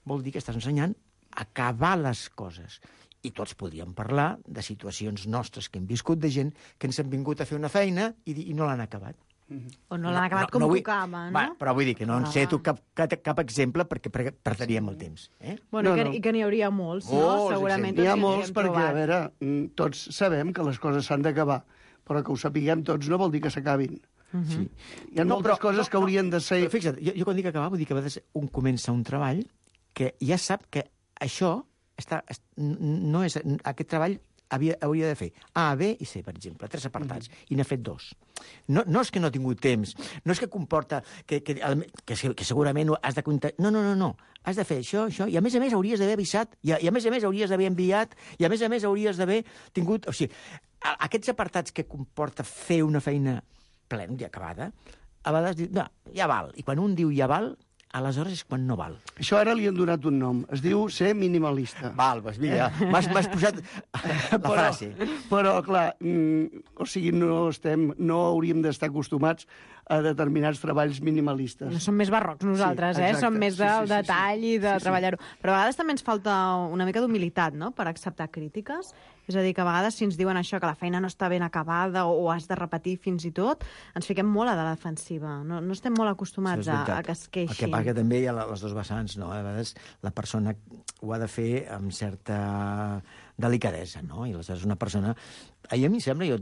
vol dir que estàs ensenyant acabar les coses. I tots podríem parlar de situacions nostres que hem viscut de gent que ens han vingut a fer una feina i no l'han acabat. O no l'han acabat com tocava, no? Però vull dir que no en sé tu cap exemple perquè perdríem el temps. Bueno, i que n'hi hauria molts, no? Segurament. N'hi ha molts perquè, a veure, tots sabem que les coses s'han d'acabar, però que ho sapiguem tots no vol dir que s'acabin. Sí. Hi ha moltes coses que haurien de ser... Però fixa't, jo quan dic acabar vull dir que a vegades un comença un treball que ja sap que això no és... Aquest treball hauria de fer A, B i C, per exemple, 3 apartats, i n'ha fet 2. No és que no ha tingut temps, no és que comporta que segurament has de comptar... No. Has de fer això, i a més hauries d'haver avisat, i a més hauries d'haver enviat, i a més hauries d'haver tingut... O sigui, aquests apartats que comporta fer una feina plena i acabada, a vegades dius, no, ja val. I quan un diu ja val, aleshores és quan no val. Això ara li han donat un nom. Es diu ser minimalista. Val, doncs mira, m'has posat la frase. Però, clar, o sigui, no hauríem d'estar acostumats a determinats treballs minimalistes. No som més barrocs nosaltres, exacte. Som més del detall i de treballar-ho. Però a vegades també ens falta una mica d'humilitat, no?, per acceptar crítiques. És a dir, que a vegades si ens diuen això, que la feina no està ben acabada o has de repetir fins i tot, ens fiquem molt a la defensiva. No estem molt acostumats a que es queixin. El que passa que també hi ha les dos vessants, no? A vegades la persona ho ha de fer amb certa delicadesa, no? I aleshores una persona... A mi em sembla,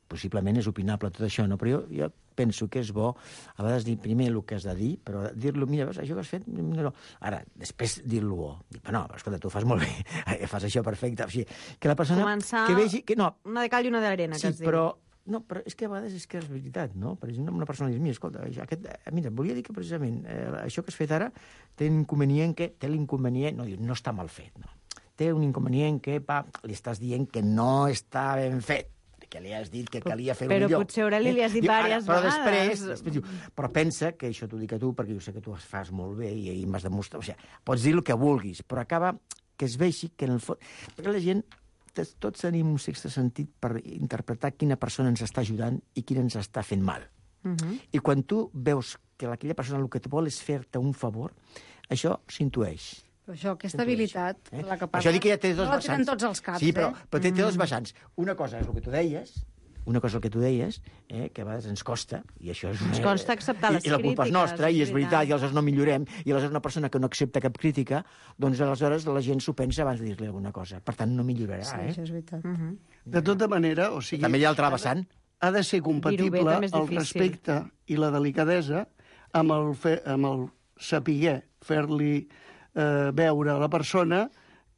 possiblement és opinable tot això, no? Però jo penso que és bo a vegades dir primer el que has de dir, però dir-lo, mira, això que has fet... No. Ara, després dir-lo bo. Dir, no, escolta, tu ho fas molt bé, fas això perfecte. O sigui, que la persona... Començar que vegi, que no, una de cal i una d'arena, que es diu. No, però és que a vegades és que és veritat, no? Per exemple, una persona diu, mira, escolta, mira, volia dir que precisament això que has fet ara té l'inconvenient, no està mal fet, no? Té un inconvenient que, li estàs dient que no està ben fet, que li has dit que calia fer-ho millor. Però potser Aureli li has dit diverses vegades. Però després diu, però pensa que això t'ho dic a tu, perquè jo sé que tu ho fas molt bé i m'has demostrat... O sigui, pots dir el que vulguis, però acaba que es vegi que en el fons... Perquè la gent, tots tenim un sexte sentit per interpretar quina persona ens està ajudant i quina ens està fent mal. I quan tu veus que aquella persona el que et vol és fer-te un favor, això s'intueix. Això, aquesta habilitat, la que parla... Això dic que ja té dos vessants. No la tenen tots els caps, sí, però té dos vessants. Una cosa és el que tu deies, que a vegades ens costa, i això és... Ens costa acceptar les crítiques. I la culpa és nostra, i és veritat, i aleshores no millorem, i aleshores una persona que no accepta cap crítica, doncs aleshores la gent s'ho pensa abans de dir-li alguna cosa. Per tant, no millorarà, Sí, això és veritat. De tota manera, o sigui... També hi ha l'altre vessant. Ha de ser compatible el respecte i la delicadesa amb el saber fer-li veure a la persona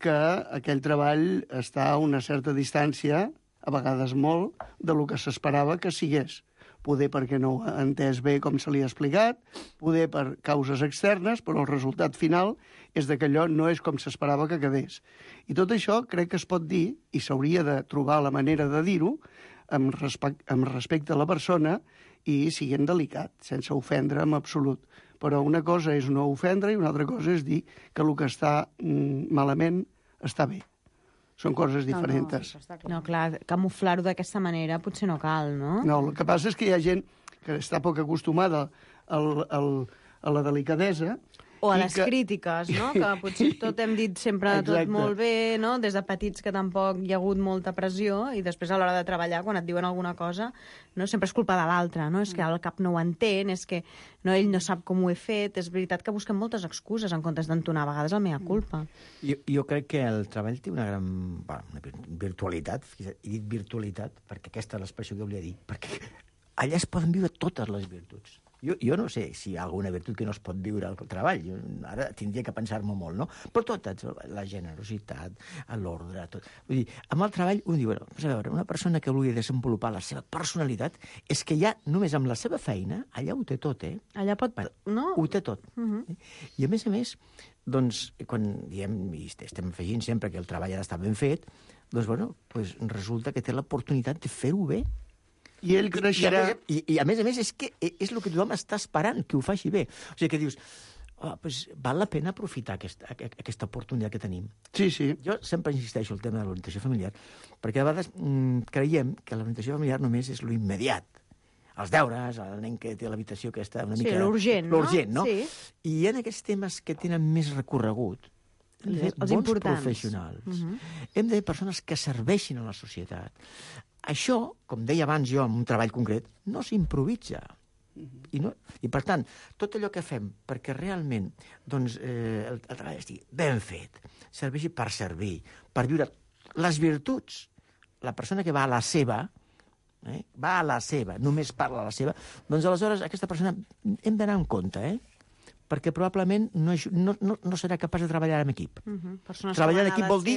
que aquell treball està a una certa distància, a vegades molt, de lo que s'esperava que sigués. Poder perquè no ho ha entès bé com se li ha explicat, poder per causes externes, però el resultat final és que allò no és com s'esperava que quedés. I tot això crec que es pot dir, i s'hauria de trobar la manera de dir-ho, amb respecte a la persona i siguent delicat, sense ofendre en absolut. Però una cosa és no ofendre i una altra cosa és dir que el que està malament està bé. Són coses diferents. No, clar, camuflar-ho d'aquesta manera potser no cal, no? No, el que passa és que hi ha gent que està poc acostumada a la delicadesa. O a les crítiques, no? Que potser tot hem dit sempre tot molt bé, no? Des de petits que tampoc hi ha hagut molta pressió i després a l'hora de treballar, quan et diuen alguna cosa, no? Sempre és culpa de l'altre, no? És que el cap no ho entén, és que ell no sap com ho he fet. És veritat que busquem moltes excuses en comptes d'entonar a vegades el mea culpa. Jo crec que el treball té una gran virtualitat, he dit virtualitat, perquè aquesta és l'expressió que volia dir, perquè allà es poden viure totes les virtuts. Jo no sé si hi ha alguna virtut que no es pot viure al treball. Ara tindria que pensar-m'ho molt, no? Però totes, la generositat, l'ordre, tot. Vull dir, amb el treball, un diu, a veure, una persona que vulgui desenvolupar la seva personalitat és que ja només amb la seva feina, allà ho té tot, Allà pot... no? Ho té tot. I a més, doncs, quan diem, i estem afegint sempre que el treball ha d'estar ben fet, doncs, resulta que té l'oportunitat de fer-ho bé. I ell creixerà... I a més, és que és el que tothom està esperant, que ho faci bé. O sigui, que dius, val la pena aprofitar aquesta oportunitat que tenim. Sí, sí. Jo sempre insisteixo al tema de l'orientació familiar, perquè a vegades creiem que l'orientació familiar només és lo immediat. Els deures, el nen que té l'habitació que està una mica... Sí, l'urgent, no? Sí. I en aquests temes que tenen més recorregut, hem de bons professionals. Hem de persones que serveixin a la societat. Això, com deia abans jo, en un treball concret, no s'improvisa. I per tant, tot allò que fem perquè realment el treball estigui ben fet, serveixi per servir, per viure les virtuts. La persona que va a la seva, només parla a la seva, doncs aleshores aquesta persona hem d'anar en compte, perquè probablement no serà capaç de treballar en equip. Treballar en equip vol dir,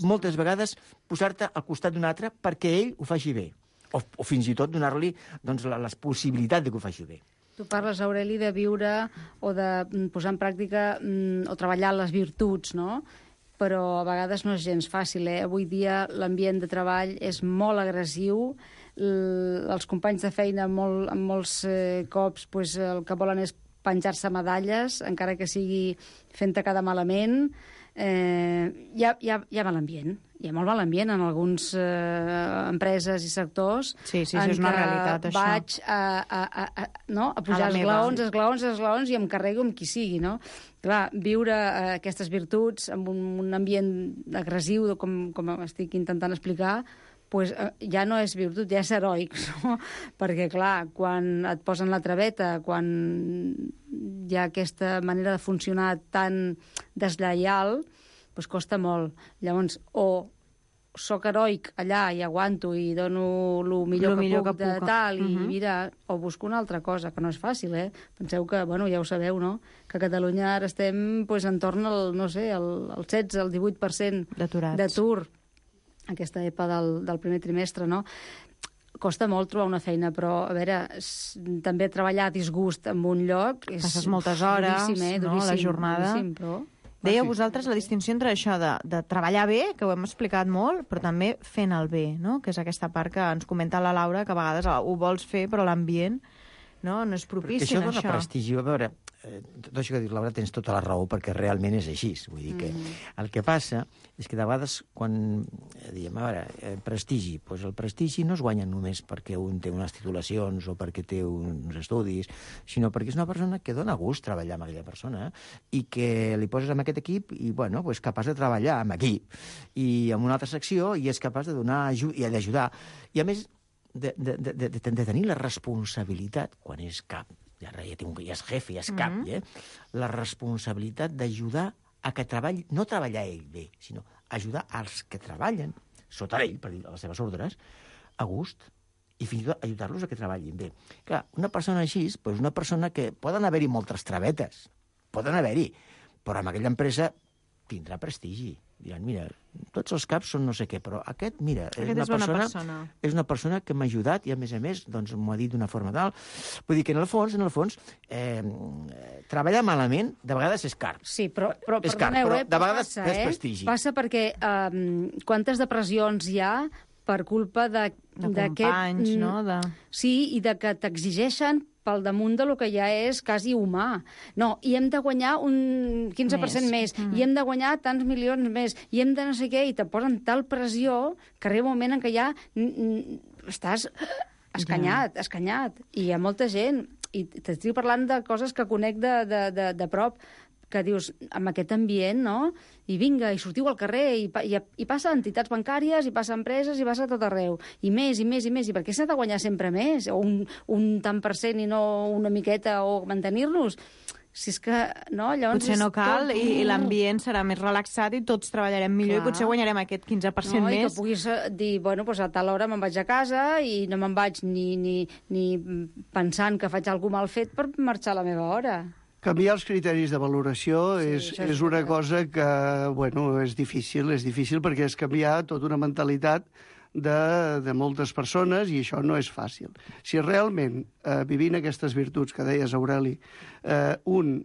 moltes vegades, posar-te al costat d'un altre perquè ell ho faci bé, o fins i tot donar-li la possibilitat de que ho faci bé. Tu parles, Aureli, de viure o de posar en pràctica o treballar les virtuts, no? Però a vegades no és gens fàcil, eh? Avui dia l'ambient de treball és molt agressiu, els companys de feina en molts cops el que volen és penjar-se medalles, encara que sigui fent-te quedar malament. Hi ha mal ambient. Hi ha molt mal ambient en algunes empreses i sectors. Sí, és una realitat, això. Vaig a pujar esglaons i em carrego amb qui sigui, no? Clar, viure aquestes virtuts amb un ambient agressiu, com estic intentant explicar, pues, ja no és virtut, ja és heroic, no? Perquè, clar, quan et posen la traveta, quan hi ha aquesta manera de funcionar tan deslleial, pues costa molt. Llavors, o soc heroic allà i aguanto i dono el millor que puc de tal, i mira, o busco una altra cosa, que no és fàcil, eh? Penseu que, bueno, ja ho sabeu, no?, que a Catalunya ara estem pues, entorn al, no sé, el 16, el 18% d'atur, aquesta EPA del primer trimestre, no? Costa molt trobar una feina, però, a veure, també treballar a disgust en un lloc és passes moltes hores, duríssim, no?, a la jornada. Duríssim, però... Dèieu vosaltres la distinció entre això de treballar bé, que ho hem explicat molt, però també fent el bé, no?, que és aquesta part que ens comenta la Laura, que a vegades ho vols fer, però l'ambient no és propici això. Això dona prestigi. A veure, tot això que dius, Laura, tens tota la raó, perquè realment és així. Vull dir que el que passa és que de vegades, quan diem, a veure, prestigi, doncs el prestigi no es guanya només perquè un té unes titulacions o perquè té uns estudis, sinó perquè és una persona que dona gust treballar amb aquella persona i que li poses en aquest equip i, bueno, és capaç de treballar amb equip i en una altra secció i és capaç de donar i d'ajudar. I, a més, de tenir la responsabilitat, quan és cap, ja és jefe, ja és cap, la responsabilitat d'ajudar a que treballi, no treballar ell bé, sinó ajudar als que treballen sota ell, per dir les seves ordres, a gust, i fins i tot ajudar-los a que treballin bé. Clar, una persona així, doncs una persona que poden haver-hi moltes travetes, poden haver-hi, però en aquella empresa tindrà prestigi. Diran, mira, tots els caps són no sé què, però aquest, mira, és una persona que m'ha ajudat i, a més, doncs m'ho ha dit d'una forma tal. Vull dir que, en el fons, treballar malament de vegades és car. Sí, però és car, però de vegades és prestigi. Passa perquè quantes depressions hi ha per culpa de companys, no? Sí, i de que t'exigeixen pel damunt del que ja és quasi humà. No, i hem de guanyar un 15% més, i hem de guanyar tants milions més, i hem de no sé què, i te posen tal pressió que arriba un moment en què ja estàs escanyat. I hi ha molta gent, i t'estic parlant de coses que conec de prop, que dius, amb aquest ambient, no? I vinga, i sortiu al carrer, i passa a entitats bancàries, i passa a empreses, i passa a tot arreu. I més, i per què s'ha de guanyar sempre més? O un tant per cent i no una miqueta, o mantenir-nos? Si és que, no, llavors... Potser no cal, i l'ambient serà més relaxat i tots treballarem millor. Clar. I potser guanyarem aquest 15% més. I que puguis dir, bueno, doncs a tal hora me'n vaig a casa i no me'n vaig ni pensant que faig alguna mal fet per marxar a la meva hora. Canviar els criteris de valoració és una cosa que, bueno, és difícil perquè és canviar tota una mentalitat de moltes persones i això no és fàcil. Si realment, vivint aquestes virtuts que deies, Aureli, un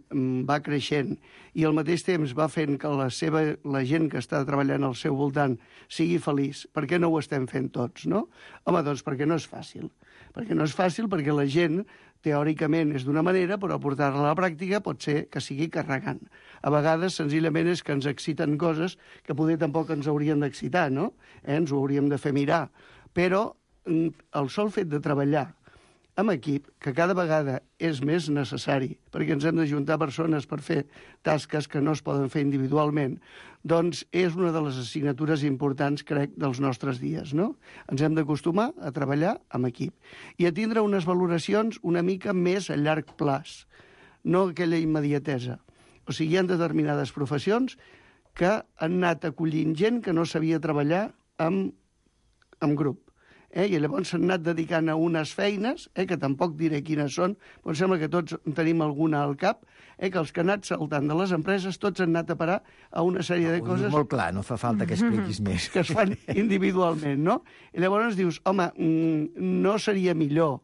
va creixent i al mateix temps va fent que la gent que està treballant al seu voltant sigui feliç, per què no ho estem fent tots, no? Home, doncs perquè no és fàcil. Perquè no és fàcil, perquè la gent teòricament és d'una manera, però portar-la a la pràctica pot ser que sigui carregant. A vegades, senzillament, és que ens exciten coses que poder tampoc ens haurien d'excitar, no? Ens ho hauríem de fer mirar. Però el sol fet de treballar amb equip, que cada vegada és més necessari, perquè ens hem d'ajuntar persones per fer tasques que no es poden fer individualment, doncs és una de les assignatures importants, crec, dels nostres dies, no? Ens hem d'acostumar a treballar amb equip i a tindre unes valoracions una mica més a llarg plaç, no aquella immediatesa. O sigui, hi ha determinades professions que han anat acollint gent que no sabia treballar amb grup. i llavors s'han anat dedicant a unes feines, que tampoc diré quines són, però em sembla que tots en tenim alguna al cap, que els que han anat saltant de les empreses tots han anat a parar a una sèrie de coses... Molt clar, no fa falta que expliquis més. Que es fan individualment, no? I llavors dius, home, no seria millor,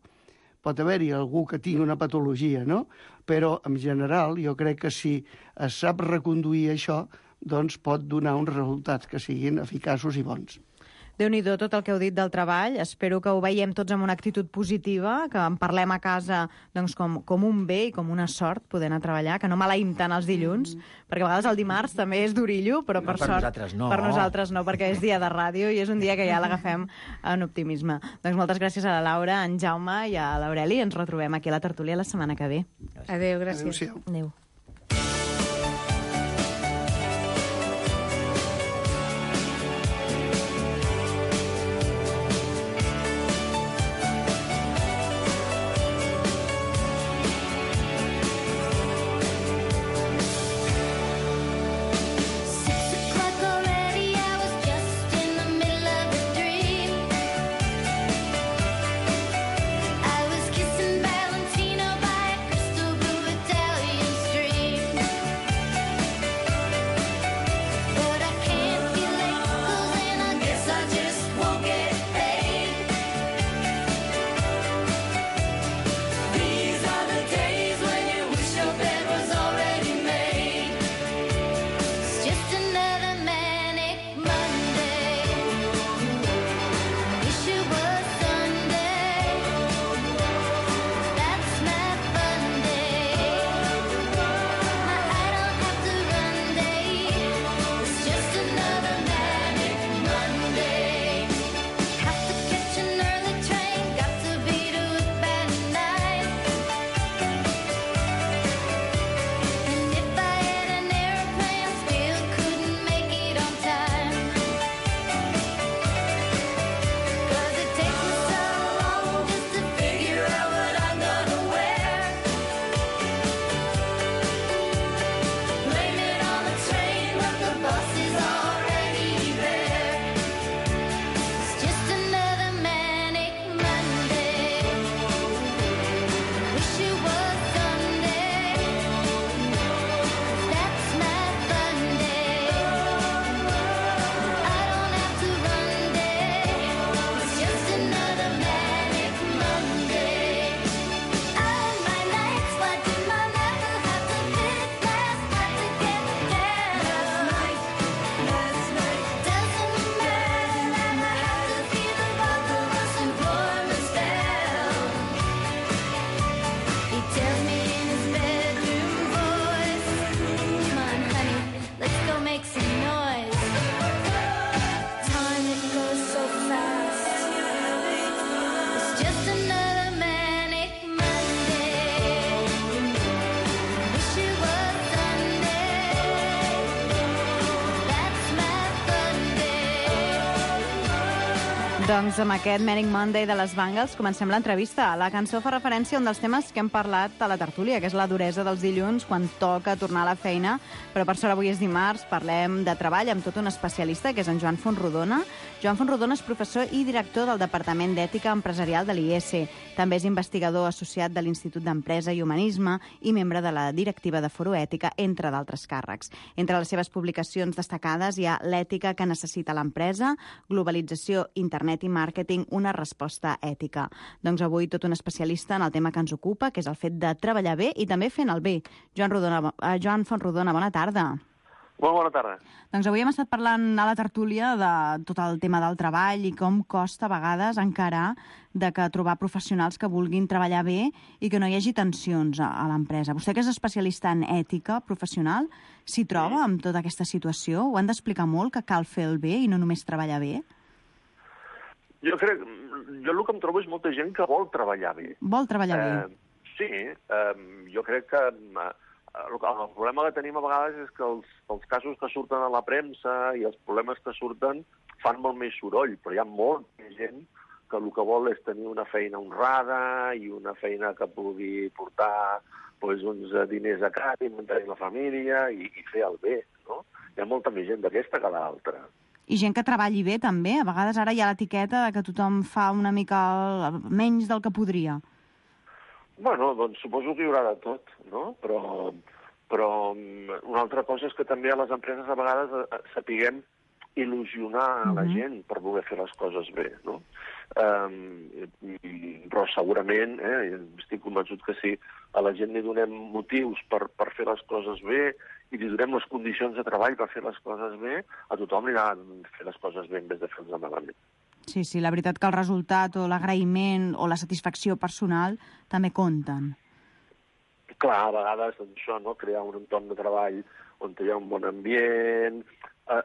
pot haver-hi algú que tingui una patologia, no? Però, en general, jo crec que si es sap reconduir això, doncs pot donar uns resultats que siguin eficaços i bons. Déu-n'hi-do tot el que heu dit del treball. Espero que ho veiem tots amb una actitud positiva, que en parlem a casa doncs, com un bé i com una sort poder anar a treballar, que no maleïm tant els dilluns, perquè a vegades el dimarts també és d'orillo, però per sort per nosaltres no, perquè és dia de ràdio i és un dia que ja l'agafem en optimisme. Doncs moltes gràcies a la Laura, a en Jaume i a l'Aureli. Ens retrobem aquí a la tertúlia la setmana que ve. Adéu, gràcies. Adéu. Doncs amb aquest Manic Monday de les Bangles comencem l'entrevista. La cançó fa referència a un dels temes que hem parlat a la tertúlia, que és la duresa dels dilluns quan toca tornar a la feina, però per sort avui és dimarts, parlem de treball amb tot un especialista, que és en Joan Fontrodona. Joan Fontrodona és professor i director del Departament d'Ètica Empresarial de l'IES. També és investigador associat de l'Institut d'Empresa i Humanisme i membre de la directiva de Foro Ètica, entre d'altres càrrecs. Entre les seves publicacions destacades hi ha L'ètica que necessita l'empresa, Globalització, Internet i Màrqueting, una resposta ètica. Doncs avui tot un especialista en el tema que ens ocupa, que és el fet de treballar bé i també fent el bé. Joan Fontrodona, bona tarda. Molt bona tarda. Doncs avui hem estat parlant a la tertúlia de tot el tema del treball i com costa a vegades encarar de que trobar professionals que vulguin treballar bé i que no hi hagi tensions a l'empresa. Vostè, que és especialista en ètica professional, s'hi troba amb tota aquesta situació? Ho han d'explicar molt, que cal fer el bé i no només treballar bé? Jo el que em trobo és molta gent que vol treballar bé. Vol treballar bé? Sí, jo crec que el problema que tenim a vegades és que els casos que surten a la premsa i els problemes que surten fan molt més soroll, però hi ha molta gent que el que vol és tenir una feina honrada i una feina que pugui portar uns diners a casa i mantenir la família i fer el bé, no? Hi ha molta més gent d'aquesta que l'altra. I gent que treballi bé, també. A vegades ara hi ha l'etiqueta que tothom fa una mica menys del que podria. Bueno, doncs suposo que hi haurà de tot, no? Però una altra cosa és que també a les empreses a vegades sapiguem il·lusionar la gent per voler fer les coses bé, no? Però segurament, estic convençut que si a la gent li donem motius per fer les coses bé i li donem les condicions de treball per fer les coses bé, a tothom li agrada fer les coses bé en vez de fer-les malament. Sí, la veritat que el resultat o l'agraïment o la satisfacció personal també compten. Clar, a vegades això, no? Crear un entorn de treball on hi ha un bon ambient,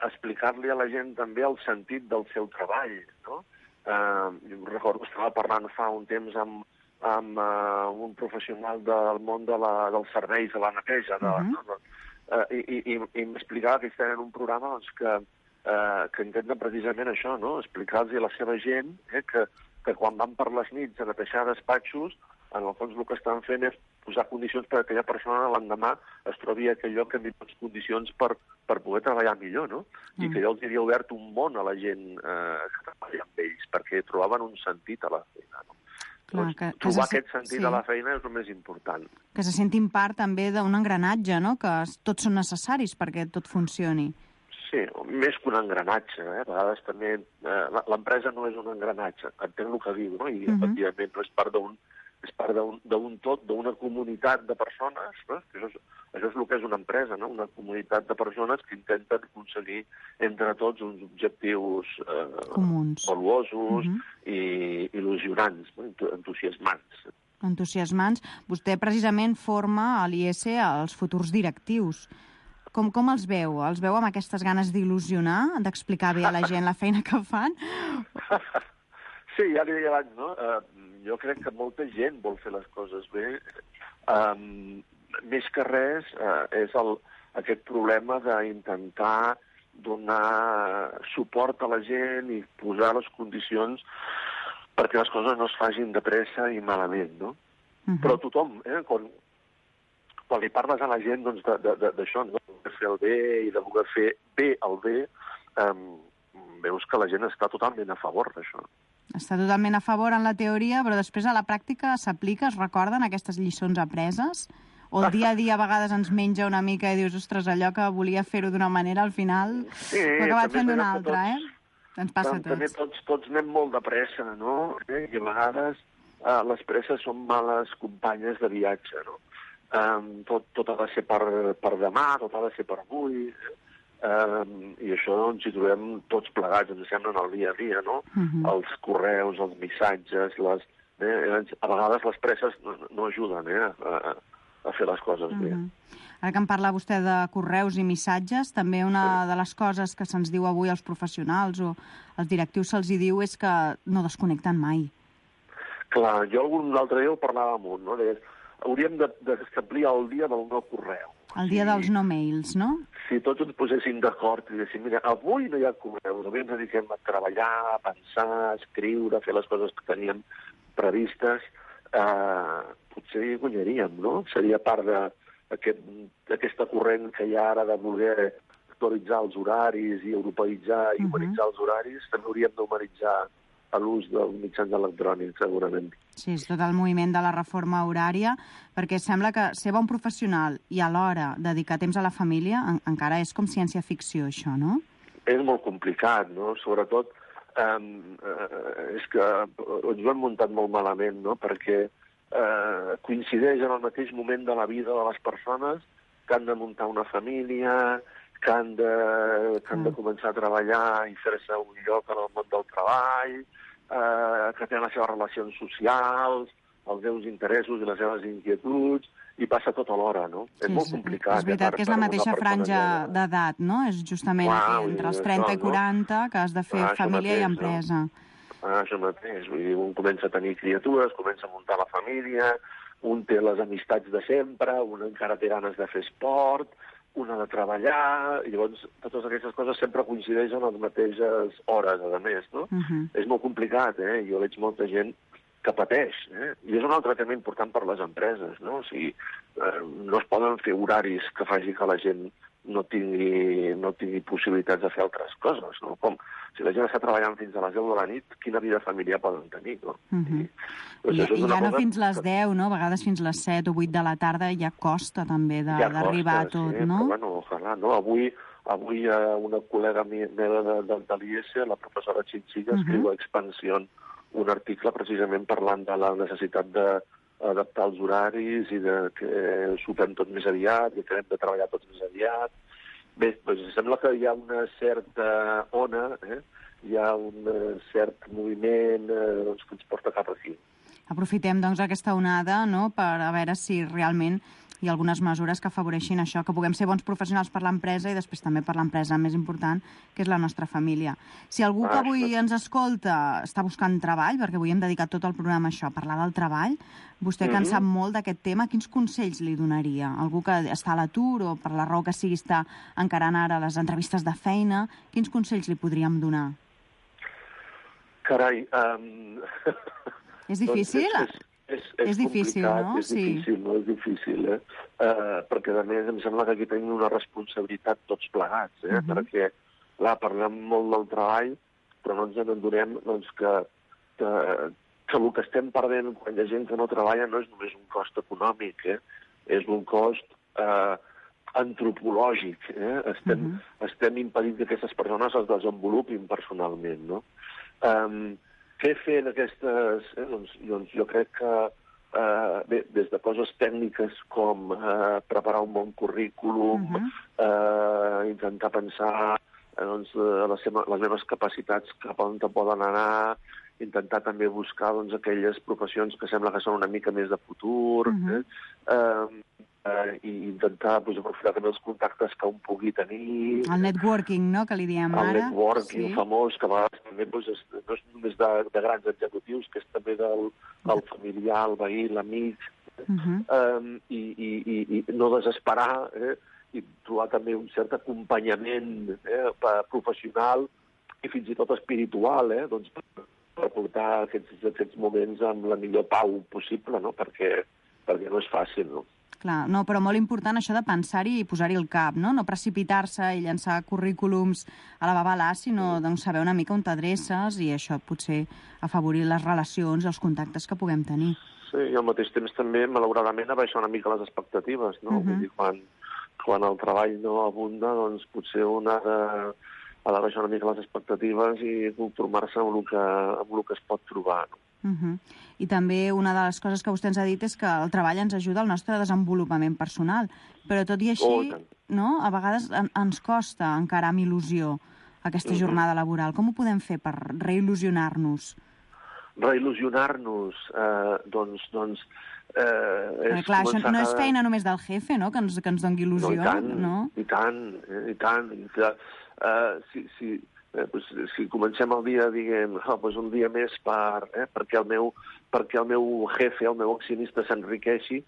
explicar-li a la gent també el sentit del seu treball, no? Jo recordo que estava parlant fa un temps amb un professional del món dels serveis, de la neteja, i m'explicava que ells tenen un programa doncs, que intenta precisament això, no? Explicar-los a la seva gent que quan van per les nits a netejar despatxos, en el fons el que estan fent és posar condicions perquè aquella persona l'endemà es trobi a aquell lloc en millors condicions per poder treballar millor, no? I que jo els havia obert un món a la gent que treballa amb ells, perquè trobaven un sentit a la feina, no? Clar, trobar aquest sentit a la feina és el més important. Que se sentin part també d'un engranatge, no? Que tots són necessaris perquè tot funcioni. Sí, més que un engranatge. A vegades també l'empresa no és un engranatge, entenc el que diu, no? I efectivament no és part d'un tot, d'una comunitat de persones, no? Això és el que és una empresa, no? Una comunitat de persones que intenten aconseguir entre tots uns objectius comuns, valuosos i il·lusionants, no? Entusiasmants. Vostè precisament forma a l'IS els futurs directius. Com els veu? Els veu amb aquestes ganes d'il·lusionar, d'explicar bé a la gent la feina que fan? Sí, ja li deia abans, no? Jo crec que molta gent vol fer les coses bé. Més que res és aquest problema d'intentar donar suport a la gent i posar les condicions perquè les coses no es facin de pressa i malament, no? Però tothom, quan li parles a la gent d'això, de voler fer el bé i de voler fer bé el bé, veus que la gent està totalment a favor d'això. Està totalment a favor en la teoria, però després a la pràctica s'aplica, es recorden aquestes lliçons apreses? O el dia a dia a vegades ens menja una mica i dius, ostres, allò que volia fer-ho d'una manera, al final ho he acabat fent d'una altra, Ens passa a tots. També tots anem molt de pressa, no? I a vegades les presses són males companyes de viatge, no? Tot ha de ser per demà, tot ha de ser per avui, i això ens hi trobem tots plegats, ens sembla en el dia a dia, no? Els correus, els missatges, a vegades les presses no ajuden a fer les coses bé. Ara que em parla vostè de correus i missatges, també una de les coses que se'ns diu avui als professionals o als directius se'ls hi diu és que no desconnecten mai. Clar, jo algun altre dia ho parlava molt, no? Hauríem d'establir el dia del no correu. El dia dels no mails, no? Si tots ens poséssim d'acord i diguéssim, mira, avui no hi ha correus, avui ens dediquem a treballar, a pensar, a escriure, a fer les coses que teníem previstes, potser hi guanyaríem, no? Seria part d'aquesta corrent que hi ha ara de voler actualitzar els horaris i europeïtzar i humanitzar els horaris, també hauríem d'humanitzar a l'ús dels mitjans electrònics, segurament. Sí, és tot el moviment de la reforma horària, perquè sembla que ser bon professional i alhora dedicar temps a la família encara és com ciència-ficció, això, no? És molt complicat, no? Sobretot és que ens ho hem muntat molt malament, no? Perquè coincideix en el mateix moment de la vida de les persones que han de muntar una família, que han de començar a treballar i fer-se un lloc en el món del treball, que tenen les seves relacions socials, els seus interessos i les seves inquietuds, i passa tot alhora, no? Sí, és molt complicat. És veritat que és la mateixa franja d'edat, no? És justament entre els 30 i 40 que has de fer família i empresa. Això mateix, vull dir, un comença a tenir criatures, comença a muntar la família, un té les amistats de sempre, un encara té ganes de fer esport, un ha de treballar, i llavors totes aquestes coses sempre coincideixen a les mateixes hores, a més, no? És molt complicat, Jo veig molta gent que pateix, I és un altre tema important per les empreses, no? O sigui, no es poden fer horaris que faci que la gent no tingui possibilitats de fer altres coses, no? Com si la gent està treballant fins a les 10 de la nit, quina vida familiar poden tenir, no? I ja no fins les 10, no? A vegades fins les 7 o 8 de la tarda ja costa també d'arribar a tot, no? Però bueno, ojalà, no? Avui una col·lega meva de l'IES, la professora Chinchilla, escriu a Expansión un article precisament parlant de la necessitat d'adaptar els horaris i que sopem tot més aviat i que hem de treballar tots més aviat. Bé, doncs sembla que hi ha una certa ona, hi ha un cert moviment que ens porta cap aquí. Aprofitem, doncs, aquesta onada, no?, per a veure si realment hi ha algunes mesures que afavoreixin això, que puguem ser bons professionals per l'empresa i després també per l'empresa més important, que és la nostra família. Si algú que avui ens escolta està buscant treball, perquè avui hem dedicat tot el programa a això, a parlar del treball, vostè que en sap molt d'aquest tema, quins consells li donaria? Algú que està a l'atur o per la raó que sigui està encarant ara les entrevistes de feina, quins consells li podríem donar? Carai... És difícil? És difícil, no? És difícil, perquè, a més, em sembla que aquí tenim una responsabilitat tots plegats, perquè, clar, parlem molt del treball, però no ens adonem que el que estem perdent quan hi ha gent que no treballa no és només un cost econòmic, és un cost antropològic. Estem impedint que aquestes persones es desenvolupin personalment, no? Què fer en aquestes... Doncs jo crec que, des de coses tècniques com preparar un bon currículum, intentar pensar les meves capacitats cap on poden anar, intentar també buscar aquelles professions que sembla que són una mica més de futur, i intentar aprofitar també els contactes que un pugui tenir. El networking, no?, que li diem ara. El networking famós, que a vegades també no és només de grans executius, que és també del familiar, el veí, l'amic, i no desesperar, i trobar també un cert acompanyament professional i fins i tot espiritual, per portar aquests moments amb la millor pau possible, no?, perquè no és fàcil, no? Clar, no, però molt important això de pensar-hi i posar-hi el cap, no? No precipitar-se i llançar currículums a la babalà, sinó saber una mica on t'adreces i això potser afavorir les relacions i els contactes que puguem tenir. Sí, i al mateix temps també, malauradament, abaixar una mica les expectatives, no? Vull dir, quan el treball no abunda, doncs potser un ha d'abaixar una mica les expectatives i conformar-se amb el que es pot trobar, no? I també una de les coses que vostè ens ha dit és que el treball ens ajuda al nostre desenvolupament personal, però tot i així, no? A vegades ens costa encarar amb il·lusió aquesta jornada laboral. Com ho podem fer per reil·lusionar-nos? Reil·lusionar-nos, doncs... Clar, això no és feina només del jefe, no?, que ens doni il·lusió, no? I tant. Si comencem el dia dient un dia més perquè el meu jefe, el meu accionista s'enriqueixi,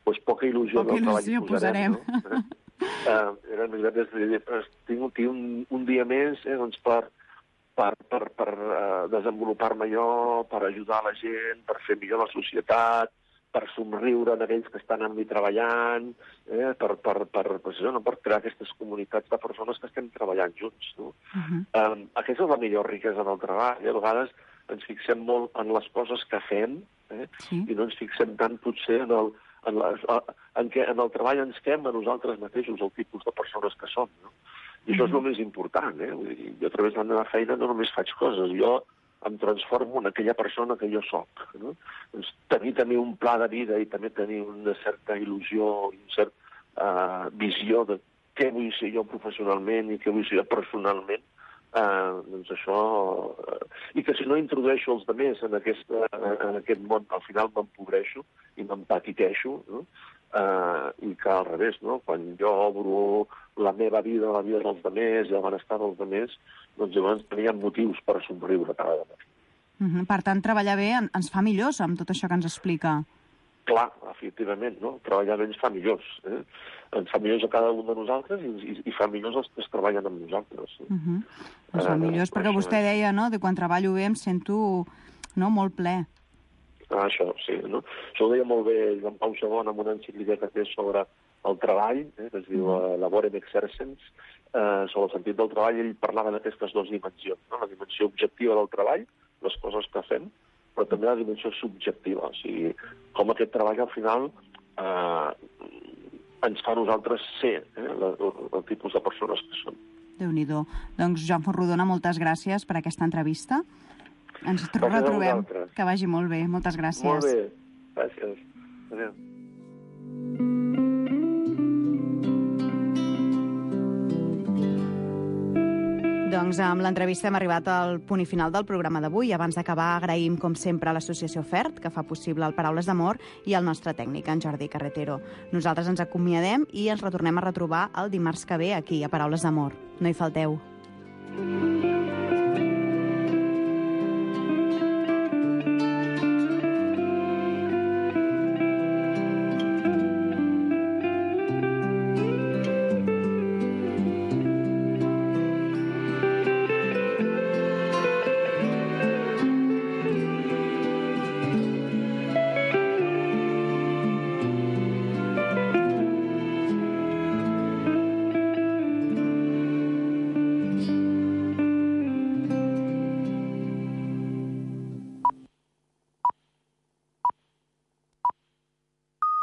doncs poca il·lusió del treball hi posarem. Tinc un dia més per desenvolupar-me jo, per ajudar la gent, per fer millor la societat, per somriure d'aquells que estan amb mi treballant, per crear aquestes comunitats de persones que estem treballant junts. No? Aquesta és la millor riquesa del treball. A vegades ens fixem molt en les coses que fem i no ens fixem tant potser en el treball ens fem a nosaltres mateixos, el tipus de persones que som. No? I això és el més important. Jo a través de la meva feina no només faig coses, jo em transformo en aquella persona que jo soc. No? Doncs tenir també un pla de vida i també tenir una certa il·lusió i una certa visió de què vull ser jo professionalment i què vull ser jo personalment, doncs això... I que si no introdueixo els altres en aquest món, al final m'empobreixo i m'empatiteixo, no? I que al revés, no? Quan jo obro la meva vida, la vida dels altres i el benestar dels altres, doncs llavors teníem motius per somriure cada vegada. Per tant, treballar bé ens fa millors amb tot això que ens explica. Clar, efectivament, no? Treballar bé ens fa millors. Ens fa millors a cada un de nosaltres i fa millors els que es treballen amb nosaltres. Ens fa millors, perquè vostè deia, no?, de quan treballo bé em sento molt ple. Això, sí. No? Això ho deia molt bé Joan Pau II en una encíclica que té sobre el treball, que es diu Laborem Exercens, sobre el sentit del treball. Ell parlava d'aquestes dues dimensions, no? La dimensió objectiva del treball, les coses que fem, però també la dimensió subjectiva, o sigui, com aquest treball al final ens fa a nosaltres ser el tipus de persones que som. Déu-n'hi-do. Doncs, Joan Fontrodona, moltes gràcies per aquesta entrevista. Ens retrobem. Que vagi molt bé. Moltes gràcies. Molt bé. Gràcies. Adéu. Doncs amb l'entrevista hem arribat al punt i final del programa d'avui. Abans d'acabar, agraïm, com sempre, a l'associació FERT, que fa possible el Paraules d'Amor, i al nostre tècnic, en Jordi Carretero. Nosaltres ens acomiadem i ens retornem a retrobar el dimarts que ve aquí, a Paraules d'Amor. No hi falteu.